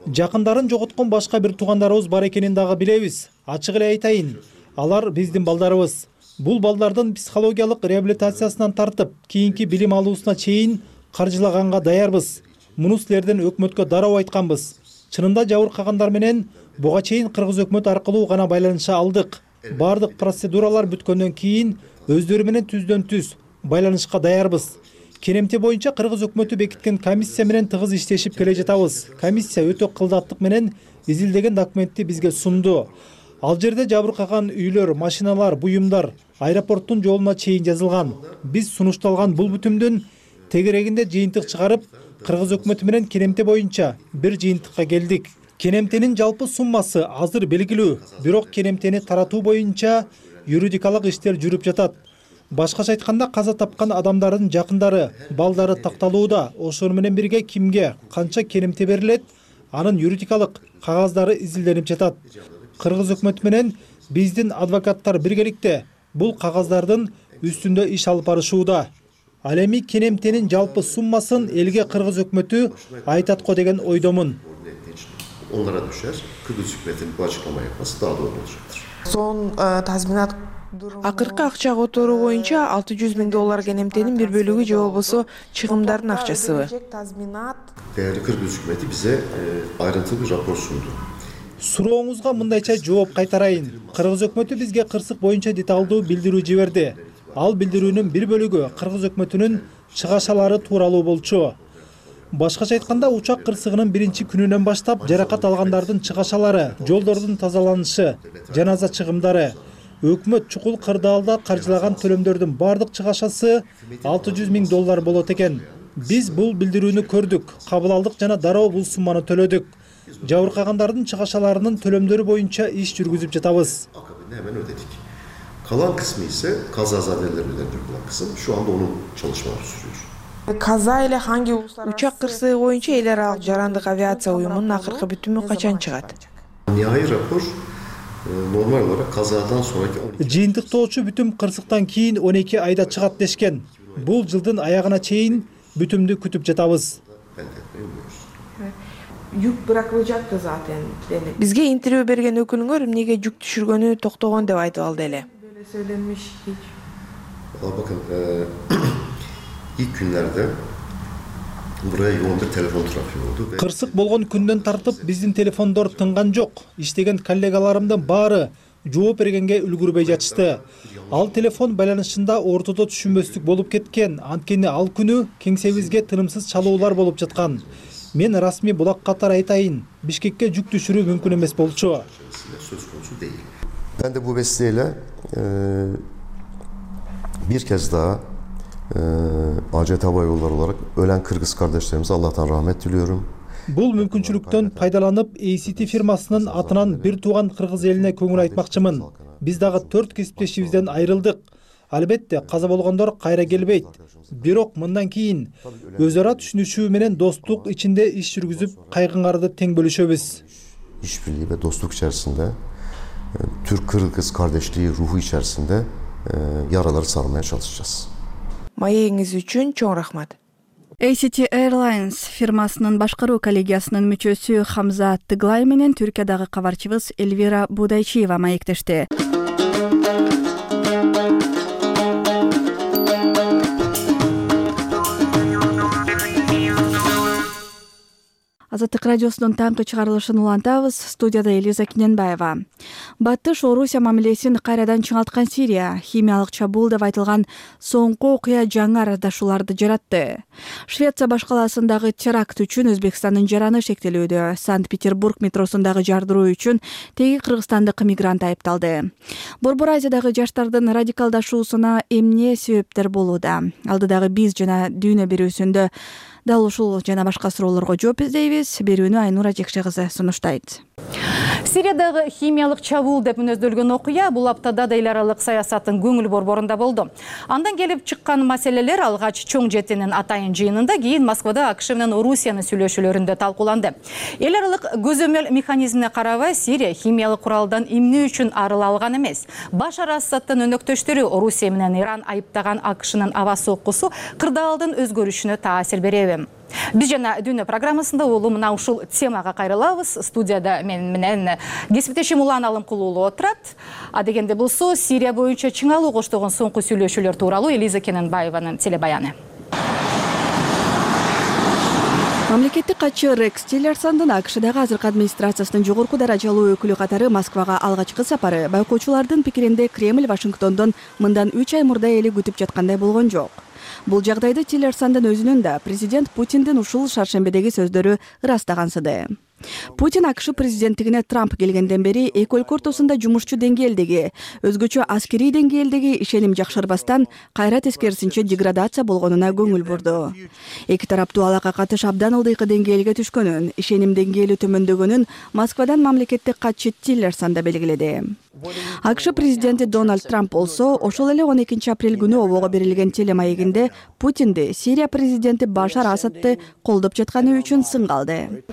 Жакындарын жоготкон башка бир туугандарыбыз бар экенин дагы билебиз. Ачык эле айтайын, алар биздин балдарыбыз. Бул балдардын психологиялык реабилитациясынан тартып, кийинки билим алуусуна чейин каржылаганга даярбыз. Муну силерден өкмөткө дароо айтканбыз. Чынында жабыркагандар менен буга чейин кыргыз өкмөтү аркылуу гана байланыша алдык. Бардык процедуралар бүткөндөн кийин өздөрү менен түздөн түз байланышка даярбыз. Кенемте боюнча кыргыз өкмөтү бекиткен комиссия менен тыгыз иштешип келе жатабыз. Комиссия өтө кылдаттык менен изилдеген документти бизге сунду. Ал жерде жабыркаган үйлөр, машиналар, буюмдар аэропорттун жолуна чейин жазылган. Биз сунушталган бул бүтүмдүн тегерегинде жыйынтык чыгарып, кыргыз өкмөтү менен кенемте боюнча бир жыйынтыкка келдик. Кенемтенин жалпы суммасы азыр белгилүү, бирок кенемтени таратуу боюнча юридикалык иштер жүрүп жатат. Башкача айтканда каза тапкан адамдардын жакындары, балдары такталууда. Ошону менен бирге кимге канча кенемте берилет, анын юридикалык кагаздары изилденип жатат. Кыргыз өкмөтү менен биздин адвокаттар биргеликте бул кагаздардын үстүндө иш алып барышууда. Ал эми кенемтенин жалпы суммасын элге кыргыз өкмөтү айтат го деген ойдомун. Onlara düşer. Kıbrıs hükümetinin bu açıklama yapması daha doğru olacaktır. Son tazminat акыркы акча которуу боюнча 600 000 доллар кенемтенин бир бөлүгү же болбосо чыгымдардын акчасыбы? Değerli Kıbrıs hükümeti bize ayrıntılı bir rapor sundu. Сурооңузга мындайча жооп кайтарайын. Кыргыз өкмөтү бизге кырсык боюнча деталдуу билдирүү жиберди. Ал билдирүүнүн бир бөлүгү кыргыз өкмөтүнүн чыгашалары тууралуу болчу. Башкача айтканда, учак кырсыгынын биринчи күнүнөн баштап жаракат алгандардын чыгашалары, жолдордун тазаланышы, жаназа чыгымдары, өкмөт чукул кырдаалда каржылаган төлөмдөрдүн бардык чыгашасы 600 000 доллар болот экен. Биз бул билдирүүнү көрдүк, кабыл алдык жана дароо бул сумманы төлөдүк. Жабыркагандардын чыгашаларынын төлөмдөрү боюнча иш жүргүзүп жатабыз. Akabinde hemen ödedik. Kalan kısmı ise kazazadeler ödenecek olan kısım. Şu anda onun çalışmaları sürüyor. Каза эле ханги учак кырсыгы боюнча эл аралык жарандык авиация уюмунун акыркы бүтүмү качан чыгат? Nihai rapor normal olarak kazadan sonraki 12 Жыйынтыктоочу бүтүм кырсыктан кийин 12 айда чыгат дешкен. Бул жылдын аягына чейин бүтүмдү күтүп жатабыз. Жүк бирок жатты zaten. Бизге интервью берген өкүлүңөр эмнеге жүк түшүргөнү токтогон деп айтып алды эле. Böyle söylenmiş hiç. Bakın ilk günlerde buraya yoğun bir telefon trafiği oldu. Кырсык болгон күндөн тартып биздин телефондор тынган жок. Иштеген коллегаларымдын баары жооп бергенге үлгүрбөй жатышты. Ал телефон байланышында ортодо түшүнбөстүк болуп кеткен. Анткени ал күнү кеңсебизге тынымсыз чалуулар болуп жаткан. Мен расмий булак катары айтайын, Бишкекке жүк түшүрүү мүмкүн эмес болчу. Ben de bu vesileyle bir kez daha ACT Hava Yolları olarak ölen Kırgız kardeşlerimize Allah'tan rahmet diliyorum. Бул мүмкүнчүлүктөн пайдаланып ACT фирмасынын атынан бир тууган кыргыз элине көңүл айтмакчымын. Биз дагы 4 кесиптешибизден айрылдык. Албетте каза болгондор кайра келбейт. Бирок мындан кийин өз ара түшүнүшүү менен достук ичинде иш жүргүзүп, кайгыңарды тең бөлүшөбүз. İşbirliği ve dostluk içerisinde Türk-Kırgız kardeşliği ruhu içerisinde yaraları sarmaya çalışacağız. Маегиңиз үчүн чоң рахмат. ACT Airlines фирмасынын башкаруу коллегиясынын мүчөсү Хамза Тыглай менен Түркиядагы кабарчыбыз Эльвира Будайчиева маектешти. Азаттык радиосунун таңкы чыгарылышын улантабыз. Студияда Элиза Киненбаева. Батыш Орусия мамилесин кайрадан чыңалткан Сирия химиялык чабуул деп айтылган соңку окуя жаңы арандашууларды жаратты. Швеция башкаласындагы теракт үчүн Өзбекстандын жараны шектелүүдө. Санкт-Петербург метросундагы жардыруу үчүн теги кыргызстандык мигрант айыпталды. Борбор Азиядагы жаштардын радикалдашуусуна эмне себептер болууда? Алдыдагы биз жана дүйнө берүүсүндө дал ушул жана башка суроолорго жооп издейбиз. Берүүнү Айнура Жекше кызы сунуштайт. Сириядагы химиялык чабуул деп мүнөздөлгөн окуя бул аптада да эл аралык саясаттын көңүл борборунда болду. Андан келип чыккан маселелер алгач чоң жетинин атайын жыйынында, кийин Москвада АКШ менен Орусиянын сүйлөшүүлөрүндө талкууланды. Эл аралык көзөмөл механизмине карабай, Сирия химиялык куралдан эмне үчүн арыла алган эмес. Башар Асадтын өнөктөштөрү Орусия менен Иран айыптаган АКШнын аба соккусу кырдаалдын өзгөрүшүнө таасир береби? Биз жана дүйнө программасында мына ушул темага кайрылабыз. Студияда мен менен кесиптешим Улан Алымкулуу отурат. А дегенде болсо Сирия боюнча чыңалуу коштогон соңку сүйлөшүүлөр тууралуу Элиза Киненбаеванын телебаяны. Мамлекеттик катчы Рекс Тиллерсондун АКШдагы азыркы администрациясынын жогорку даражалуу өкүлү катары Москвага алгачкы сапары байкоочулардын пикиринде Кремль Вашингтондон мындан 3 ай мурда эле күтүп жаткандай болгон жок. Бул жагдайды Тиллерсондун өзүнүн да президент Путиндин ушул шаршембедеги сөздөрү ырастагансыды. Путин АКШ президенттигине Трамп келгенден бери эки өлкө ортосунда жумушчу деңгээлдеги, өзгөчө аскерий деңгээлдеги ишеним жакшырбастан кайра тескерисинче деградация болгонуна көңүл бурду. Эки тараптуу алака катыш абдан ылдыйкы деңгээлге түшкөнүн, ишеним деңгээли төмөндөгөнүн Москвадан мамлекеттик катчы Тиллерсон да белгиледи. АКШ президенти Дональд Трамп болсо ошол эле 12 апрель күнү обого берилген телемаегинде Путинди Сирия президенти Башар Асадты колдоп жатканы үчүн сынгалды.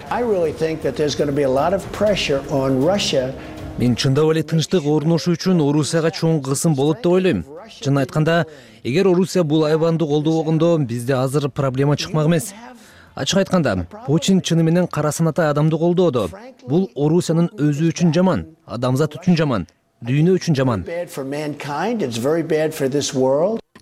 Мен чындап эле тынчтык орношуу үчүн Орусияга чоң кысым болот деп ойлойм. Чын айтканда, эгер Орусия бул айбанды колдобогондо бизде азыр проблема чыкмак эмес. Ачык айтканда, Путин чыны менен кара санатай адамды колдоодо. Бул Орусиянын өзү үчүн жаман, адамзат үчүн жаман, дүйнө үчүн жаман.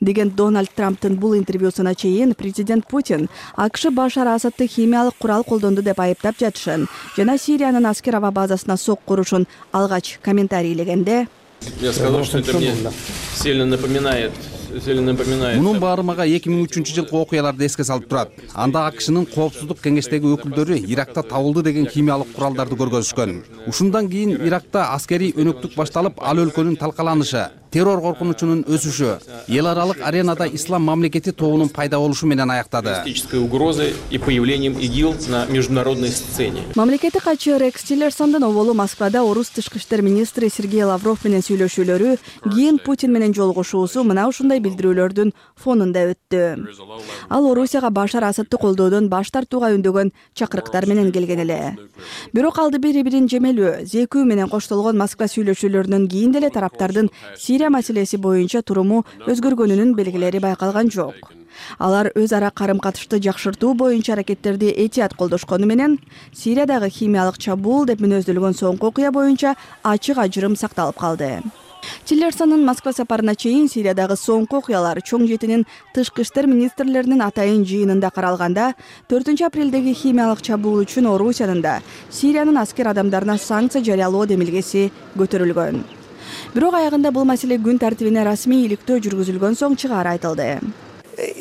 Деген Дональд Трамптын бул интервьюсуна чейин президент Путин АКШ Башар Асадты химиялык курал колдонду деп айыптап жатышын жана Сириянын аскер аба базасына сок курушун алгач комментарийлегенде, я сказал, что это мне сильно напоминает. Мунун баары мага 2003 жылкы окуяларды эске салып турат. Анда АКШнын коопсуздук кеңештеги өкүлдөрү Иракта табылды деген химиялык куралдарды көргөзүшкөн. Ушундан кийин Иракта аскерий өнөктүк башталып, ал өлкөнүн талкаланышы, террор коркунучунун өсүшү, эл аралык аренада ислам мамлекети тобунун пайда болушу менен аяктады. Угрозы и появлением ИГИЛ на международной сцене. Мамлекеттик катчы Рекс Тиллерсондун оболу Москвада орус тышкы иштер министри Сергей Лавров менен сүйлөшүүлөрү, кийин Путин менен жолугушуусу мына ушундай билдирүүлөрдүн фонунда өттү. Ал Орусияга Башар Асадты колдоодон баш тартууга үндөгөн чакырыктар менен келген эле. Бирок алды бири-бирин жемелүү, зекүү менен коштолгон Москва сүйлөшүүлөрүнөн кийин деле тараптардын Сирия маселеси боюнча туруму өзгөргөнүнүн белгилери байкалган жок. Алар өз ара карым-катышты жакшыртуу боюнча аракеттерди этият колдошкону менен Сириядагы химиялык чабуул деп мүнөздөлгөн соңку окуя боюнча ачык ажырым сакталып калды. Тиллерсонун Москва сапарына чейин Сириядагы соңку окуялар чоң жетинин тышкы иштер министрлеринин атайын жыйынында каралганда, 4 апрелдеги химиялык чабуул үчүн Орусиянын да Сириянын аскер адамдарына санкция жарыялоо демилгеси көтөрүлгөн. Бирок аягында бул маселе күн тартибине расмий иликтөө жүргүзүлгөн соң чыгаары айтылды.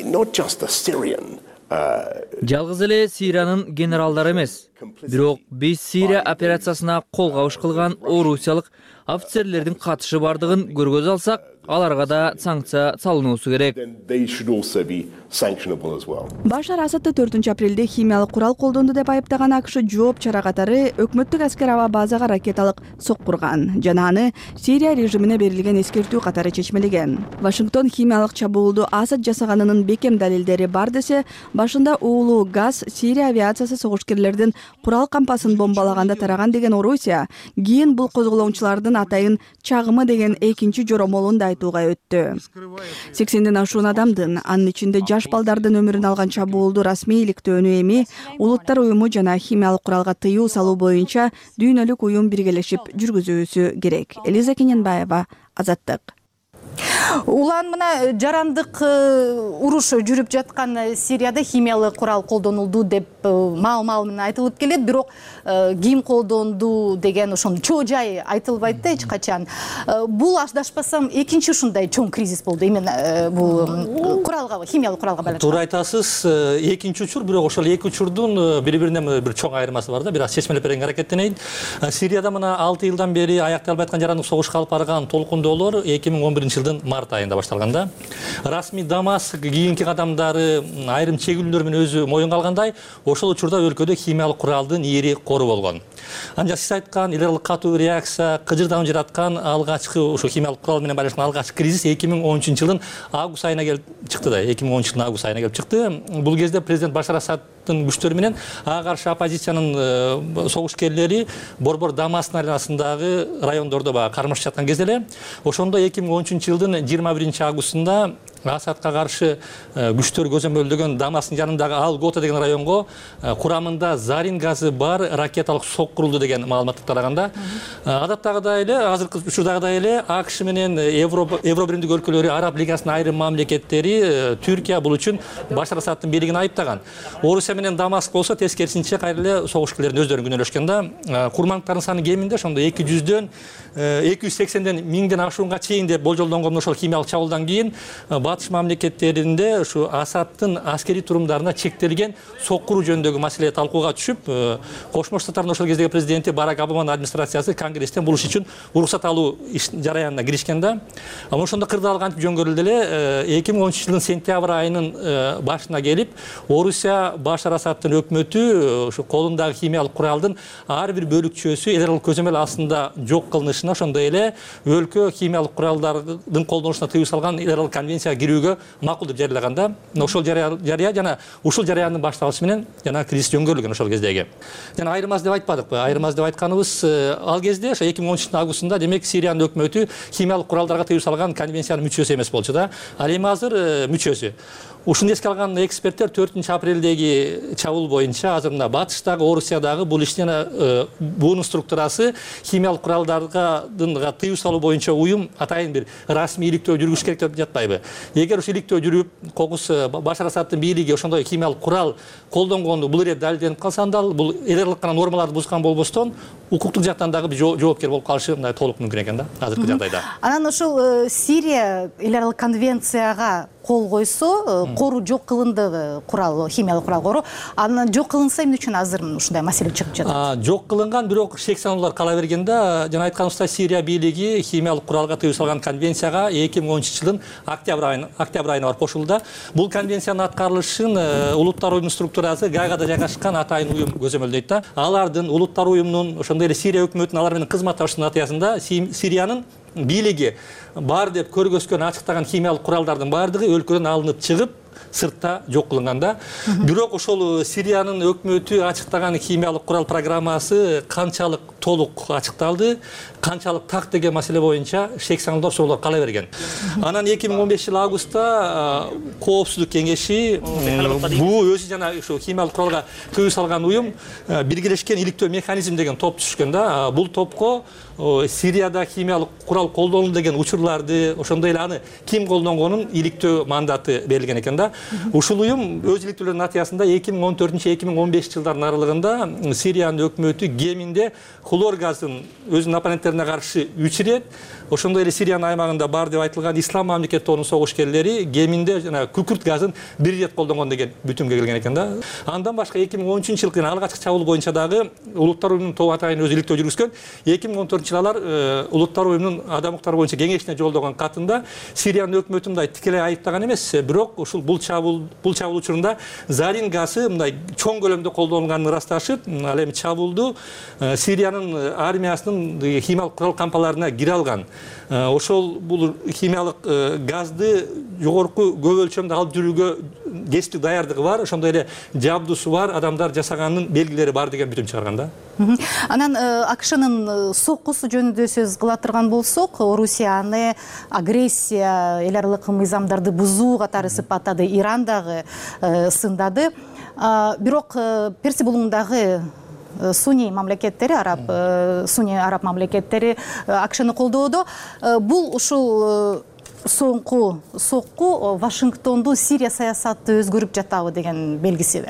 Not just the Syrian Жалгыз эле Сириянын генералдары эмес, бирок биз Сирия операциясына кол кабыш кылган орусиялык офицерлердин катышы бардыгын көргөзө алсак, аларга да санкция салынуусу керек. Башар Асадты 4-апрелде химиялык курал колдонду деп айыптаган АКШ жооп чара катары өкмөттүк аскер аба базага ракеталык соккурган жана аны Сирия режимине берилген эскертүү катары чечмелеген. Вашингтон химиялык чабуулду Асад жасаганынын бекем далилдери бар десе, башында уулуу газ Сирия авиациясы согушкерлердин курал кампасын бомбалаганда тараган деген Орусия, кийин бул козголоңчулардын атайын чагымы деген экинчи жоромолун да айтууга өттү. 80ден ашуун адамдын, анын ичинде жаш балдардын өмүрүн алган чабуулду расмийликтөөнү эми Улуттар уюму жана химиялык куралга тыюу салуу боюнча дүйнөлүк уюм биргелешип жүргүзүүсү керек. Элиза Кененбаева, Азаттык. Улан мына жарандык уруш жүрүп жаткан Сирияда химиялык курал колдонулду деп маал менен айтылып келет, бирок ким колдонду деген ошонун чоо жай айтылбайт да эч качан. Бул аздашпасам экинчи ушундай чоң кризис болду именно бул куралга, химиялык куралга байланыштуу. Туура айтасыз, экинчи учур, бирок ошол эки учурдун бири-бирине бир чоң айырмасы бар да, бир аз чечмелеп берүүгө аракеттенейин. Сирияда мына 6 жылдан бери аяктай албай аткан жарандык согушка алып барган толкундоолор 2011-жылдын март айында башталганда, расмий Дамаск кийинки кадамдары айрым чегүүлөр менен өзү моюнга алгандай, ошол учурда өлкөдө химиялык куралдын ири кору болгон. Анча сиз айткан эле катуу реакция кыжырданып жараткан алгачкы ошо химиялык курал менен байланышкан алгачкы кризис 2013-жылдын август айына келип чыкты да, 2013-жылдын август айына келип чыкты. Бул кезде президент Башар Асадтын күчтөрү менен ага каршы оппозициянын согушкерлери Борбор Дамасктын айланасындагы райондордо кармашып жаткан кезде эле, ошондо 2013-жылдын 21 августунда Асадка каршы күчтөр көзөмөлдөгөн Дамасктын жанындагы Ал-Гота деген районго курамында зарин газы бар ракеталык соккурулду деген маалыматты тараганда, адаттагыдай эле, азыркы учурдагыдай эле АКШ менен Евро биримдик өлкөлөрү, Араб лигасынын айрым мамлекеттери Түркия бул үчүн Башар Асадтын бийлигин айыптаган. Орусия менен Дамаск болсо тескерисинче кайра эле согушкерлердин өздөрүн күнөөлөшкөн да. Курмандыктардын саны кеминде ошондо 200дөн 280ден 1000ден ашуунга чейин деп болжолдонгон ошол химиялык чабуулдан кийин батыш мамлекеттеринде ушу Асадтын аскерий турумдарына чектелген соккуруу жөнүндөгү маселе талкууга түшүп, Кошмо Штаттардын ошол кездеги президенти Барак Обаманын администрациясы Конгресстен бул иш үчүн уруксат алуу жараянына киришкен да. Ама ошондо кырдаал кантип жөнгөрүлдү эле 2013-жылдын сентябрь айынын башына келип, Орусия Башар Асадтын өкмөтү ушу колундагы химиялык куралдын ар бир бөлүкчөсү эл аралык көзөмөл астында жок кылынышына, ошондой эле өлкө химиялык куралдардын колдонушуна тыюу салган эл аралык конвенцияга кирүүгө макул деп жарыялаган да. Ошол жарыя жана ушул жарыянын башталышы менен жана кризис жөнгөрүлгөн ошол кездеги. Жана айырмасы деп айтпадыкпы? Айырмасы деп айтканыбыз, ал кезде ошо 2013-жылдын августунда демек Сириянын өкмөтү химиялык куралдарга тыюу салган конвенциянын мүчөсү эмес болчу да. Ал эми азыр мүчөсү. Ушуну эске алган эксперттер 4-апрелдеги чабуул боюнча азыр мына батыштагы Орусиядагы бул иштин буунун структурасы химиялык куралдарга тыюу салуу боюнча уюм атайын бир расмий иликтөө жүргүзүш керек деп жатпайбы? Эгер ушул иликтөө жүрүп, кокус Башар Асадтын бийлиги ошондой химиялык курал колдонгонду бул ире далилденип калса, анда бул эл аралык гана нормаларды бузган болбостон, укуктук жактан дагы жоопкер болуп калышы мындай толук мүмкүн экен да азыркы жагдайда. Анан ошол Сирия эл аралык конвенцияга кол койсо, кору жок кылынды, курал, химиялык курал кору. Анан жок кылынса эмне үчүн азыр ушундай маселе чыгып жатат? Жок кылынган, бирок шек санаалар кала берген да. Жана айтканыбыздай Сирия бийлиги химиялык куралга тыюу салган конвенцияга 2013-жылдын октябрь айына барып кошулду. Бул конвенциянын аткарылышын Улуттар уюмунун структурасы Гаагада жайгашкан атайын уюм көзөмөлдөйт да. Алардын Улуттар уюмунун, ошондой эле Сирия өкмөтүнүн алар менен кызматташуунун натыйжасында Сириянын бийлиги бар деп көргөзгөн ачыктаган химиялык куралдардын баардыгы өлкөдөн алынып чыгып, сыртта жок кылынганда. Бирок ошол Сириянын өкмөтү ачыктаган химиялык курал программасы канчалык толук ачыкталды, канчалык так деген маселе боюнча шек санаалар соолор кала берген. Анан 2015-жыл августта Коопсуздук кеңеши бул өзү жана ошо химиялык куралга тыюу салган уюм биргелешкен иликтөө механизм деген топ түшкөн да. Бул топко Сирияда химиялык курал колдонулду деген учурларды, ошондой эле аны ким колдонгонун иликтөө мандаты берилген экен да. Ушул уюм өз иликтөөлөрүнүн натыйжасында 2014-2015 жылдардын аралыгында Сириянын өкмөтү кеминде хлор газын өзүнүн оппоненттерине каршы 3 ирет, ошондой эле Сириянын аймагында бар деп айтылган ислам мамлекеттеринин согушкерлери кеминде жана күкүрт газын 1 ирет колдонгон деген бүтүмгө келген экен да. Андан башка 2013-жылкы алгачкы чабуул боюнча дагы Улуттар уюмунун тобу атайын өзү иликтөө жүргүзгөн. 2014-жылы алар Улуттар уюмунун адам укуктары боюнча кеңешине жолдогон катында Сириянын өкмөтүн мындай тикелей айыптаган эмес, бирок ушул бул чабуул учурунда зарин газы мындай чоң көлөмдө колдонулганын ырасташып, ал эми чабуулду Сириянын армиясынын химиялык курал кампаларына кире алган. Ошол бул химиялык газды жогорку көп өлчөмдө алып жүрүүгө кесиптик даярдыгы бар, ошондой эле жабдусу бар, адамдар жасаганынын белгилери бар деген бүтүм чыгарган да. Анан АКШнын соккусу жөнүндө сөз кыла турган болсок, Орусия аны агрессия, эл аралык мыйзамдарды бузуу катары сыпаттады, Иран дагы сындады. Бирок Перси булугундагы Суни араб мамлекеттери АКШны колдоодо. Бул ушул соңку сокку Вашингтондун Сирия саясаты өзгөрүп жатабы деген белгиси.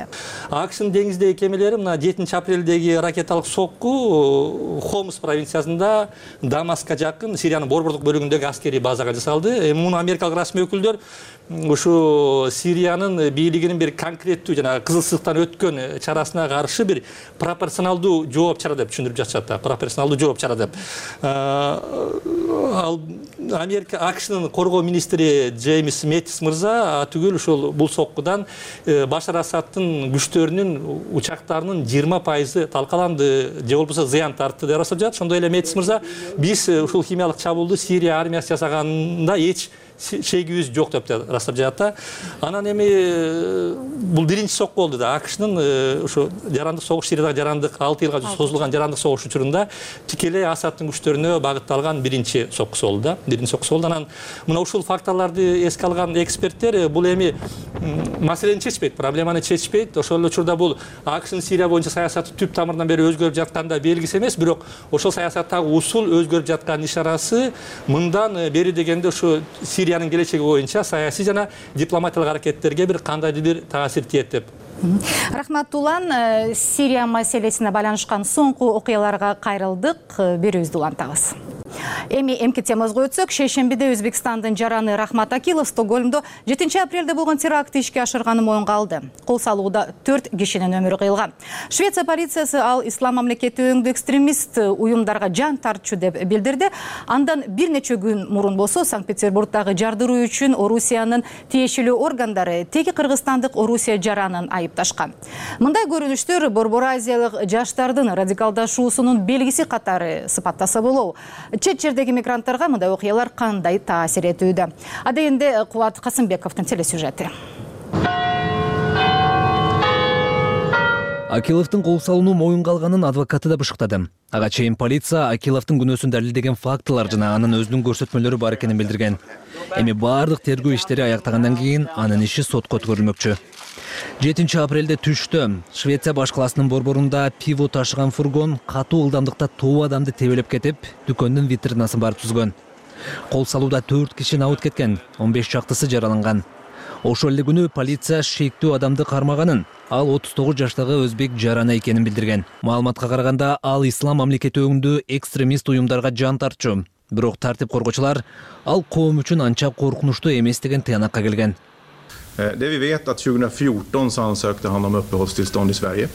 АКШнын деңиздеги кемелери мына 7 апрелдеги ракеталык сокку Хомс провинциясында Дамаска жакын Сириянын борбордук бөлүгүндөгү аскерий базага жасалды. Муну америкалык расмий өкүлдөр ушу Сириянын бийлигинин бир конкреттүү жана кызыл сыктан өткөн чарасына каршы бир пропорционалдуу жооп чара деп түшүндүрүп жатышат. Пропорционалдуу жооп чара деп. Ал Америка АКШнын коргоо министри Джеймс Мэттис мырза түгүл ушул бул соккудан Башар Асадтын күчтөрүнүн учактарынын 20% талкаланды, же болбосо зыян тартты деп ырастап жатат. Ошондой эле Мэттис мырза биз ушул химиялык чабуулду Сирия армиясы жасаганында эч шегибиз жок деп ырастап жатат. Анан эми бул биринчи сокку болду да. АКШнын ушу жарандык согуш, Сириядагы жарандык 6 жылга созулган жарандык согуш учурунда тикелей Асадтын күчтөрүнө багытталган биринчи соккусу болду да. Биринчи соккусу болду. Анан мына ушул факторлорду эске алган эксперттер бул эми маселени чечпейт, проблеманы чечпейт. Ошол эле учурда бул АКШнын Сирия боюнча саясаты түп тамырынан бери өзгөрүп жатканда белгиси эмес, бирок ошол саясаттагы усул өзгөрүп жаткан ишарасы. Мындан бери дегенде ушу Сириянын келечеги боюнча саясий жана дипломатиялык аракеттерге бир кандайдыр бир таасир тиет деп. Рахмат Улан, Сирия маселесине байланышкан соңку окуяларга кайрылдык, берүүбүздү улантабыз. Эми эмки темабызга өтсөк, шейшембиде Өзбекстандын жараны Рахмат Акилов Стокгольмдо 7 апрелде болгон терактты ишке ашырганы моюнга алды. Кол салууда 4 кишинин өмүрү кыйылган. Швеция полициясы ал ислам мамлекети өңдүү экстремист уюмдарга жан тартчу деп билдирди. Андан бир нече күн мурун болсо Санкт-Петербургдагы жардыруу үчүн Орусиянын тиешелүү органдары теги кыргызстандык Орусия жаранын айыпташкан. Мындай көрүнүштөр Борбор Азиялык жаштардын радикалдашуусунун белгиси катары сыпаттаса болобу. Чет жердеги мигранттарга мындай окуялар кандай таасир этүүдө? Адегенде Кубат Касымбековдун телесюжети. Акиловдун кол салууну моюнга алганын адвокаты да бышыктады. Ага чейин полиция Акиловдун күнөөсүн далилдеген фактылар жана анын өзүнүн көрсөтмөлөрү бар экенин билдирген. Эми бардык тергөө иштери аяктагандан кийин анын иши сотко өткөрүлмөкчү. 7 апрелде түштө Швеция баш каласынын борборунда пиво ташыган фургон катуу ылдамдыкта тоо адамды тебелеп кетип, дүкөндүн витринасын барып түзгөн. Кол салууда 4 киши набыт кеткен, 15 чактысы жараланган. Ошол эле күнү полиция шектүү адамды кармаганын, ал 39 жаштагы өзбек жарана экенин билдирген. Маалыматка караганда, ал ислам мамлекети өңдүү экстремист уюмдарга жан тартчу. Бирок тартип коргоочулар ал коом үчүн анча коркунучтуу эмес деген тыянакка келген. Det vi vet att 2014 så ansökte han om uppehållstillstånd i Sverige.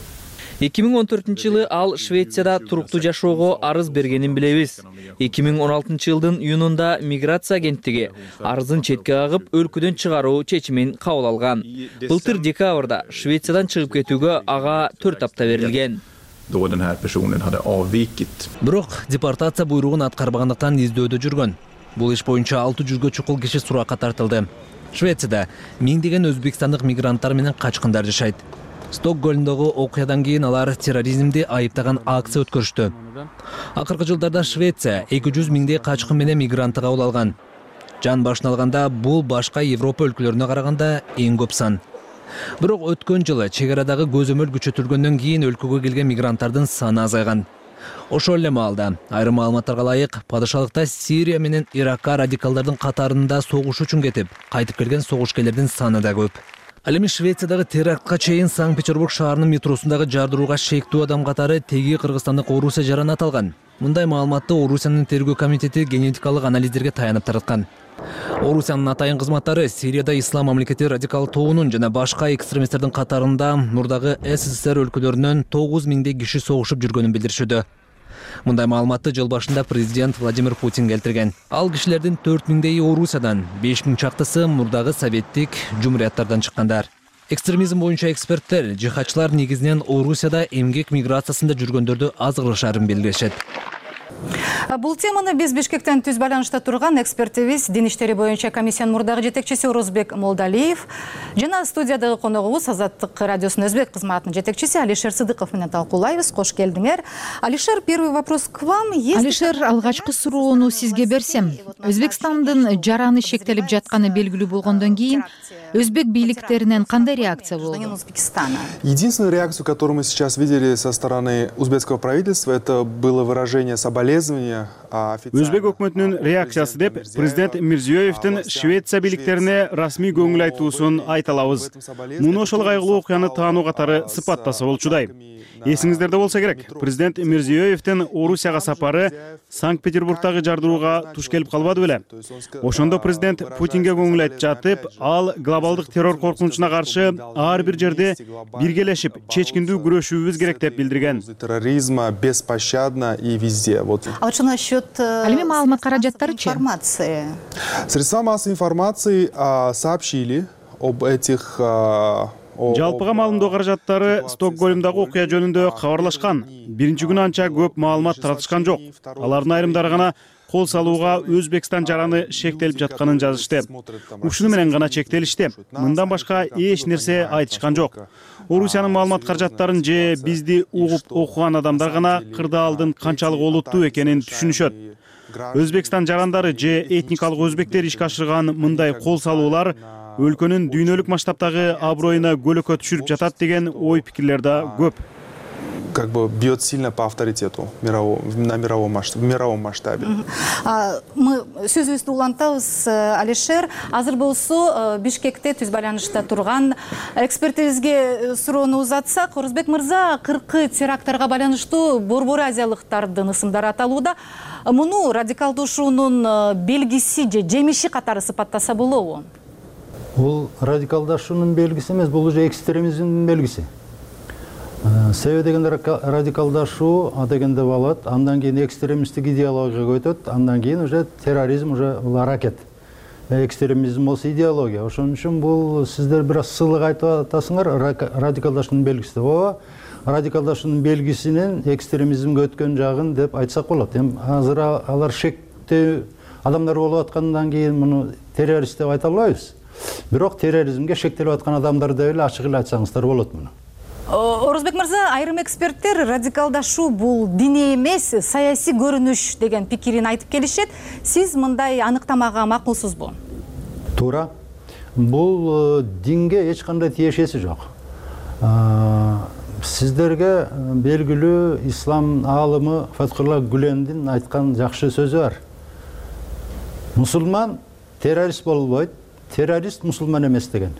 2014-жылы ал Швецияда туруктуу жашоого арыз бергенин билебиз. 2016-жылдын июнунда миграция агенттиги арызын четке кагып, өлкөдөн чыгаруу чечимин кабыл алган. Былтыр декабрда Швециядан чыгып кетүүгө ага 4 апта берилген. Då den här personen hade avvikit. Бирок депортация буйругун аткарбагандыктан издөөдө жүргөн. Бул иш боюнча 600 чукул киши суракка тартылды. Швецияда миңдеген өзбекстандык мигранттар менен качкындар жашайт. Стокгольмдогу окуядан кийин алар терроризмди айыптаган акция өткөрүштү. Акыркы жылдарда Швеция 200 миңдей качкын менен мигрантты кабыл алган. Жан башына алганда бул башка Европа өлкөлөрүнө караганда эң көп сан. Бирок өткөн жылы чек арадагы көзөмөл күчөтүлгөндөн кийин өлкөгө келген мигранттардын саны азайган. Ошол эле маалда айрым маалыматтарга ылайык падышалыкта Сирия менен Иракка радикалдардын катарында согуш үчүн кетип, кайтып келген согушкерлердин саны да көп. Ал эми Швециядагы терактка чейин Санкт-Петербург шаарынын метросундагы жардырууга шектүү адам катары теги кыргызстандык Орусия жараны аталган. Мындай маалыматты Орусиянын тергөө комитети генетикалык анализдерге таянып тараткан. Орусиянын атайын кызматтары Сирияда ислам мамлекети радикал тобунун жана башка экстремисттердин катарында мурдагы СССР өлкөлөрүнөн 9000 киши согушуп жүргөнүн билдиришүүдө. Мындай маалыматты жыл башында президент Владимир Путин келтирген. Ал кишилердин 4000 Орусиядан, 5000 чактысы мурдагы советтик жумурияттардан чыккандар. Экстремизм боюнча эксперттер жихадчылар негизинен Орусияда эмгек миграциясында жүргөндөрдү азгырышарын билдиришет. Бул теманы биз Бишкектен түз байланышта турган экспертибиз Дин иштери боюнча комиссиянын мурдагы жетекчиси Орозбек Молдалиев жана студиядагы коногубуз Азаттык радиосунун өзбек кызматынын жетекчиси Алишер Сыдыков менен талкуулайбыз. Кош келдиңер. Алишер, первый вопрос к вам. Алишер, алгачкы суроону сизге берсем, Өзбекстандын жараны шектелип жатканы белгилүү болгондон кийин өзбек бийликтеринен кандай реакция болду? Единственную реакцию, которую мы сейчас видели со стороны узбекского правительства, это было выражение соболезнования. Өзбек өкмөтүнүн реакциясы деп президент Мирзиёевдин Швеция бийликтерине расмий көңүл айтуусун айта алабыз. Муну ошол кайгылуу окуяны таануу катары сыпаттаса болчудай. Эсиңиздерде болсо керек, президент Мирзиёевдин Орусияга сапары Санкт-Петербургдагы жардырууга туш келип калбады беле. Ошондо президент Путинге көңүл айтып жатып, ал глобалдык террор коркунучуна каршы ар бир жерде биргелешип, чечкиндүү күрөшүүбүз керек деп билдирген. Терроризма беспощадно и везде. А вот что насчет маалымат каражаттарычы? Информации? Средства массовой информации сообщили об этих... Жалпыга маалымдоо каражаттары Стокгольмдагы окуя жөнүндө кабарлашкан. Биринчи күнү анча көп маалымат таратышкан жок. Алардын айрымдары гана кол салууга Өзбекстан жараны шектелип жатканын жазышты. Ушуну менен гана чектелишти. Мындан башка эч нерсе айтышкан жок. Орусиянын маалымат каражаттарын же бизди угуп окуган адамдар гана кырдаалдын канчалык олуттуу экенин түшүнүшөт. Өзбекстан жарандары же этникалык өзбектер ишке ашырган мындай кол салуулар өлкөнүн дүйнөлүк масштабтагы аброюна көлөкө түшүрүп жатат деген ой пикирлер да көп. Как бы бьет сильно по авторитету на мировом масштабе. Мы сөзүбүздү улантабыз, Алишер. Азыр болсо Бишкекте түз байланышта турган экспертибизге суроону узатсак, Орозбек мырза, 40 теракттарга байланыштуу Борбор азиялыктардын ысымдары аталууда. Муну радикалдашуунун белгиси же жемиши катары сыпаттаса болобу? Бул радикалдашуунун белгиси эмес, бул уже экстремизмдин белгиси. Себеби дегенде радикалдашуу дегенде болот, андан кийин экстремисттик идеологияга өтөт, андан кийин уже терроризм уже бул аракет. Экстремизм болсо идеология. Ошон үчүн бул сиздер бир аз сылык айтып атасыңар, радикалдашуунун белгиси. Ооба, радикалдашуунун белгисинин экстремизмге өткөн жагын деп айтсак болот. Эми азыр алар шектүү адамдар болуп аткандан кийин муну террорист деп айта албайбыз. Бирок терроризмге шектелип аткан адамдар деп эле ачык эле айтсаңыздар болот муну. Орозбек мырза, айрым эксперттер радикалдашуу бул диний эмес, саясий көрүнүш деген пикирин айтып келишет. Сиз мындай аныктамага макулсузбу? Туура. Бул динге эч кандай тиешеси жок. Сиздерге белгилүү ислам аалымы Фатхулла Гүлендин айткан жакшы сөзү бар. Мусулман террорист болбойт, террорист мусулман эмес деген.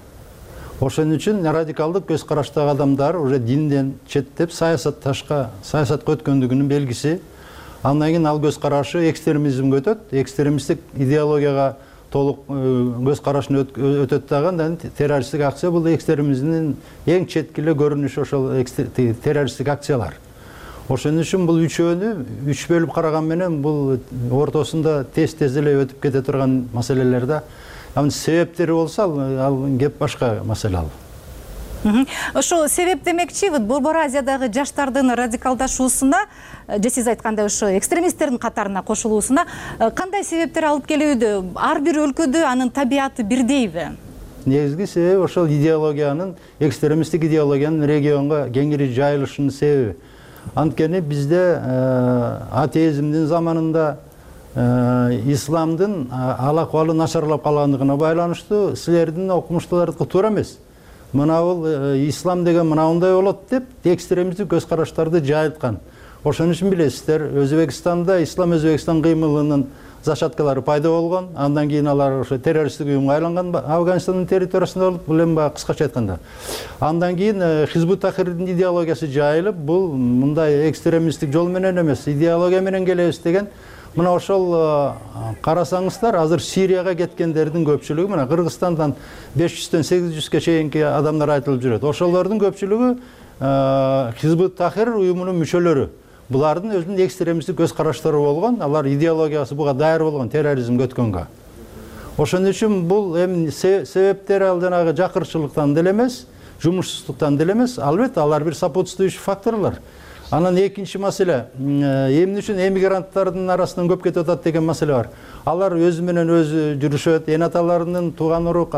Ошон үчүн радикалдык көз караштагы адамдар уже динден четтеп саясатка өткөндүгүнүн белгиси. Андан кийин ал көз карашы экстремизмге өтөт, экстремисттик идеологияга толук көз карашын өтөт дагы, андан террористтик акция бул экстремизмдин эң четки эле көрүнүшү ошол террористтик акциялар. Ошон үчүн бул үчөөнү үч бөлүп караган менен бул ортосунда тез эле өтүп кете турган маселелер да. Себептери болсо ал кеп башка маселе ал. Ошо себеп демекчи, Борбор Азиядагы жаштардын радикалдашуусуна, же сиз айткандай ошо экстремисттердин катарына кошулуусуна кандай себептер алып келүүдө? Ар бир өлкөдө анын табияты бирдейби? Негизги себеби ошол идеологиянын, экстремисттик идеологиянын регионго кеңири жайылышынын себеби. Анткени бизде атеизмдин заманында исламдын ал акыбалы начарлап калгандыгына байланыштуу силердин окумуштуулардыкы туура эмес. Мына бул ислам деген мынандай болот деп экстремисттик көз караштарды жайылткан. Ошон үчүн билесиздер, Өзбекстанда ислам Өзбекстан кыймылынын зачаткалары пайда болгон. Андан кийин алар ошо террористтик уюмга айланган Афганистандын территориясында болуп, бул эми баягы кыскача айтканда. Андан кийин Хизбут Тахрирдин идеологиясы жайылып, бул мындай экстремисттик жол менен эмес, идеология менен келебиз деген. Мына ошол карасаңыздар, азыр Сирияга кеткендердин көпчүлүгү мына Кыргызстандан 500-төн 800ге чейинки адамдар айтылып жүрөт. Ошолордун көпчүлүгү Хизбут Тахрир уюмунун мүчөлөрү. Булардын өзүнүн экстремисттик көз караштары болгон, алар идеологиясы буга даяр болгон терроризмге өткөнгө. Ошон үчүн бул эми себептери ал жанагы жакырчылыктан деле эмес, жумушсуздуктан деле эмес, албетте алар бир сопутствующий факторлор. Анан экинчи маселе, эмне үчүн эмигранттардын арасынан көп кетип атат деген маселе бар. Алар өзү менен өзү жүрүшөт, эн аталарынын тууган урук,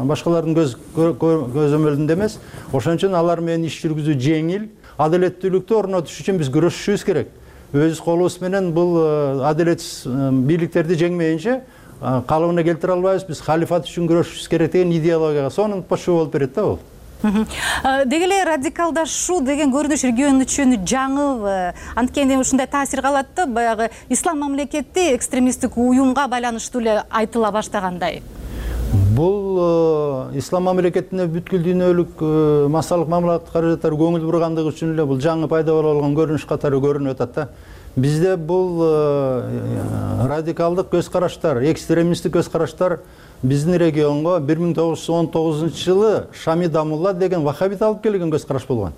башкалардын көзөмөлүндө эмес. Ошон үчүн алар менен иш жүргүзүү жеңил, адилеттүүлүктү орнотуш үчүн биз күрөшүшүбүз керек. Өз колубуз менен бул адилетсиз бийликтерди жеңмейинче калыбына келтире албайбыз. Биз халифат үчүн күрөшүшүбүз керек деген идеологияга сонун отпошуу болуп берет да бул. Деги эле радикалдашуу деген көрүнүш регион үчүн жаңы, анткени ушундай таасир калат да, баягы ислам мамлекети экстремисттик уюмга байланыштуу эле айтыла баштагандай. Бул ислам мамлекетине бүткүл дүйнөлүк массалык мамлекеттик каражаттар көңүл бургандыгы үчүн эле бул жаңы пайда боло болгон көрүнүш катары көрүнүп атат да. Бизде бул радикалдык көз караштар, экстремисттик көз караштар биздин регионго 1919 жылы Шами Дамулла деген вахабит алып келген көз караш болгон.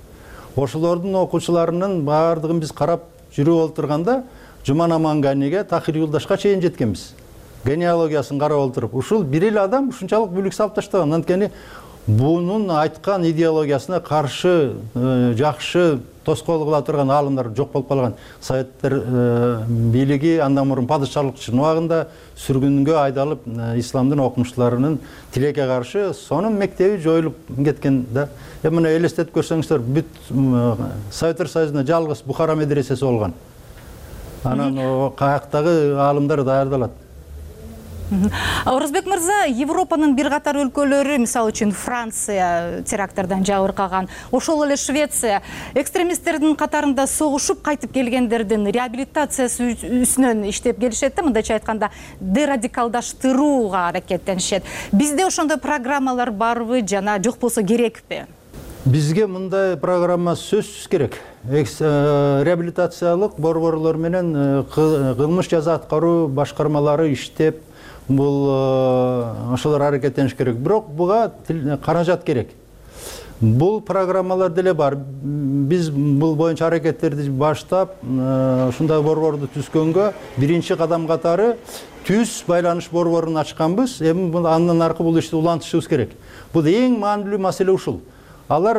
Ошолордун окуучуларынын баардыгын биз карап жүрүп отурганда Жуман Аманганиге, Тахир Юлдашка чейин жеткенбиз. Генеалогиясын карап отуруп, ушул бир эле адам ушунчалык бүлүк салып таштаган. Анткени бунун айткан идеологиясына каршы жакшы тоскоол кыла турган аалымдар жок болуп калган. Советтер бийлиги андан мурун падышалык убагында сүргүнгө айдалып, исламдын окумуштарынын тилекке каршы сонун мектеби жоюлуп кеткен да. Мына элестетип көрсөңүздөр, бүт Советтер Союзунда жалгыз Бухара медресеси болгон. Анан каяктагы аалымдар даярдалат. Орозбек мырза, Европанын бир катар өлкөлөрү, мисалы үчүн Франция терактардан жабыркаган, ошол эле Швеция экстремисттердин катарында согушуп кайтып келгендердин реабилитациясы үстүнөн иштеп келишет да, мындайча айтканда дерадикалдаштырууга аракеттенишет. Бизде ошондой программалар барбы жана жок болсо керекпи? Бизге мындай программа сөзсүз керек. Реабилитациялык борборлор менен кылмыш жаза аткаруу башкармалары иштеп, бул ошолор аракеттениш керек. Бирок буга каражат керек. Бул программалар деле бар. Биз бул боюнча аракеттерди баштап, ушундай борборду түзгөнгө биринчи кадам катары түз байланыш борборун ачканбыз. Эми андан аркы бул ишти улантышыбыз керек. Бул эң маанилүү маселе ушул. Алар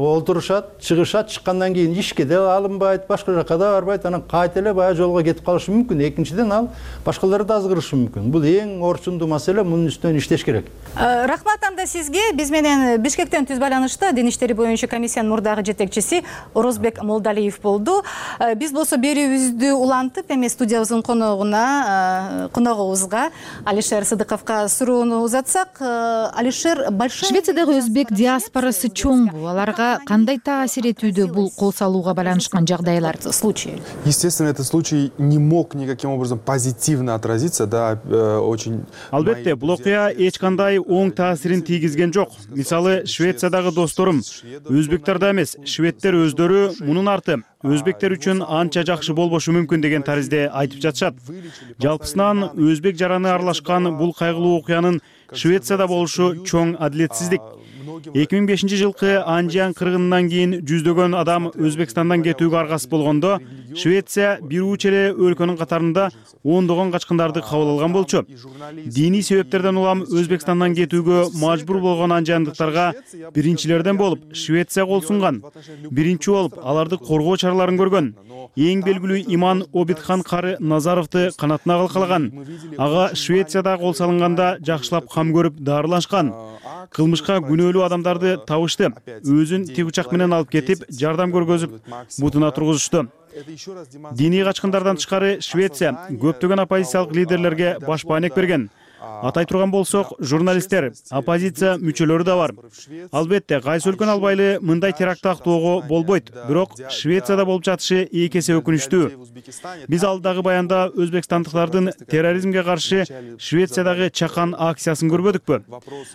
олтурушат, чыгышат, чыккандан кийин ишке да алынбайт, башка жакка да барбайт, анан кайта эле баягы жолго кетип калышы мүмкүн. Экинчиден ал башкаларды да азгырышы мүмкүн. Бул эң орчундуу маселе, мунун үстүнөн иштеш керек. Рахмат анда сизге. Биз менен Бишкектен түз байланышта Дин иштери боюнча комиссиянын мурдагы жетекчиси Орозбек Молдалиев болду. Биз болсо берүүбүздү улантып, эми студиябыздын коногубузга Алишер Сыдыковго суроону узатсак, Алишер, Швециядагы өзбек диаспорасы чоңбу, аларга кандай таасир этүүдө бул кол салууга байланышкан жагдайлар, случай? Естественно, этот случай не мог никаким образом позитивно отразиться, да, очень. Албетте, бул окуя эч кандай оң таасирин тийгизген жок. Мисалы, Швециядагы досторум, өзбектерде эмес, шведтер өздөрү мунун арты өзбектер үчүн анча жакшы болбошу мүмкүн деген таризде айтып жатышат. Жалпысынан өзбек жараны аралашкан бул кайгылуу окуянын Швецияда болушу чоң адилетсиздик. 2005 жылкы Анжиан кыргынынан кийин жүздөгөн адам Өзбекстандан кетүүгө аргасыз болгондо, Швеция бир уч эле өлкөнүн катарында ондогон качкындарды кабыл алган болчу. Диний себептерден улам Өзбекстандан кетүүгө мажбур болгон анжандыктарга биринчилерден болуп Швеция кол сунган. Биринчи болуп аларды коргоо чараларын көргөн. Эң белгилүү Иман Обидхан кары Назаровду канатына калкалаган. Ага Швецияда кол салынганда жакшылап кам көрүп дарылашкан. Кылмышка күнөөлүү адамдарды табышты. Өзүн тигучак менен алып кетип, жардам көргөзүп, бутуна тургузушту. Диний качкындардан тышкары Швеция көптөгөн оппозициялык лидерлерге баш баанек берген. Атай турган болсок, журналисттер, оппозиция мүчөлөрү да бар. Албетте, кайсы өлкөнү албайлы мындай теракт актоого болбойт. Бирок Швецияда болуп жатышы эки эсе өкүнүчтүү. Биз алдагы баянда өзбекстандыктардын терроризмге каршы Швециядагы чакан акциясын көрбөдүкпү?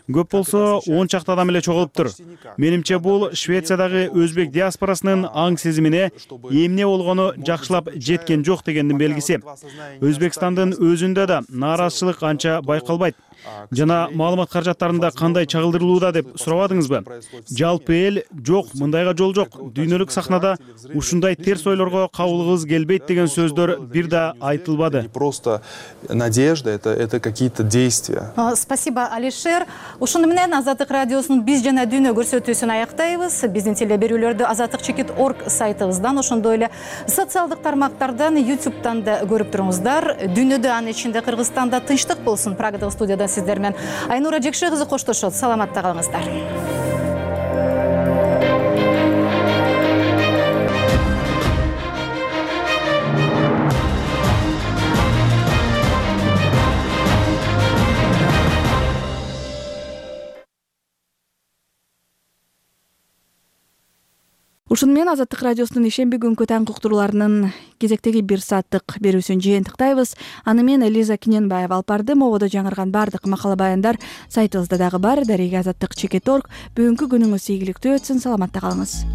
Көп болсо 10 чакты адам эле чогулуптур. Менимче бул Швециядагы өзбек диаспорасынын аң сезимине эмне болгону жакшылап жеткен жок дегендин белгиси. Өзбекстандын өзүндө да нааразычылык анча байкалбайт. Жана маалымат каражаттарында кандай чагылдырылууда деп сурабадыңызбы? Жалпы эл жок, мындайга жол жок. Дүйнөлүк сахнада ушундай терс ойлорго кабылгыбыз келбейт деген сөздөр бир да айтылбады. Просто надежда, это какие-то действия. Спасибо, Алишер. Ушуну менен Азаттык радиосунун биз жана дүйнө көрсөтүүсүн аяктайбыз. Биздин телеберүүлөрдү azattikchekit.org сайтыбыздан, ошондой эле социалдык тармактардан, YouTube'дан да көрүп туруңуздар. Дүйнөдө, анын ичинде Кыргызстанда тынчтык болсун. Прагадагы студияда сиздер менен Айнура Жекше кызы коштошот. Саламатта калыңыздар. Ушуну менен Азаттык радиосунун ишемби күнкү таңкы уктурууларынын кезектеги 1 сааттык берүүсүн жыйынтыктайбыз. Аны мен Лиза Киненбаева алып бардым. Мободо жаңырган бардык макала баяндар сайтыбызда дагы бар. Дареге azattikchekit.org. Бүгүнкү күнүңүз ийгиликтүү өтсүн. Саламатта калыңыз.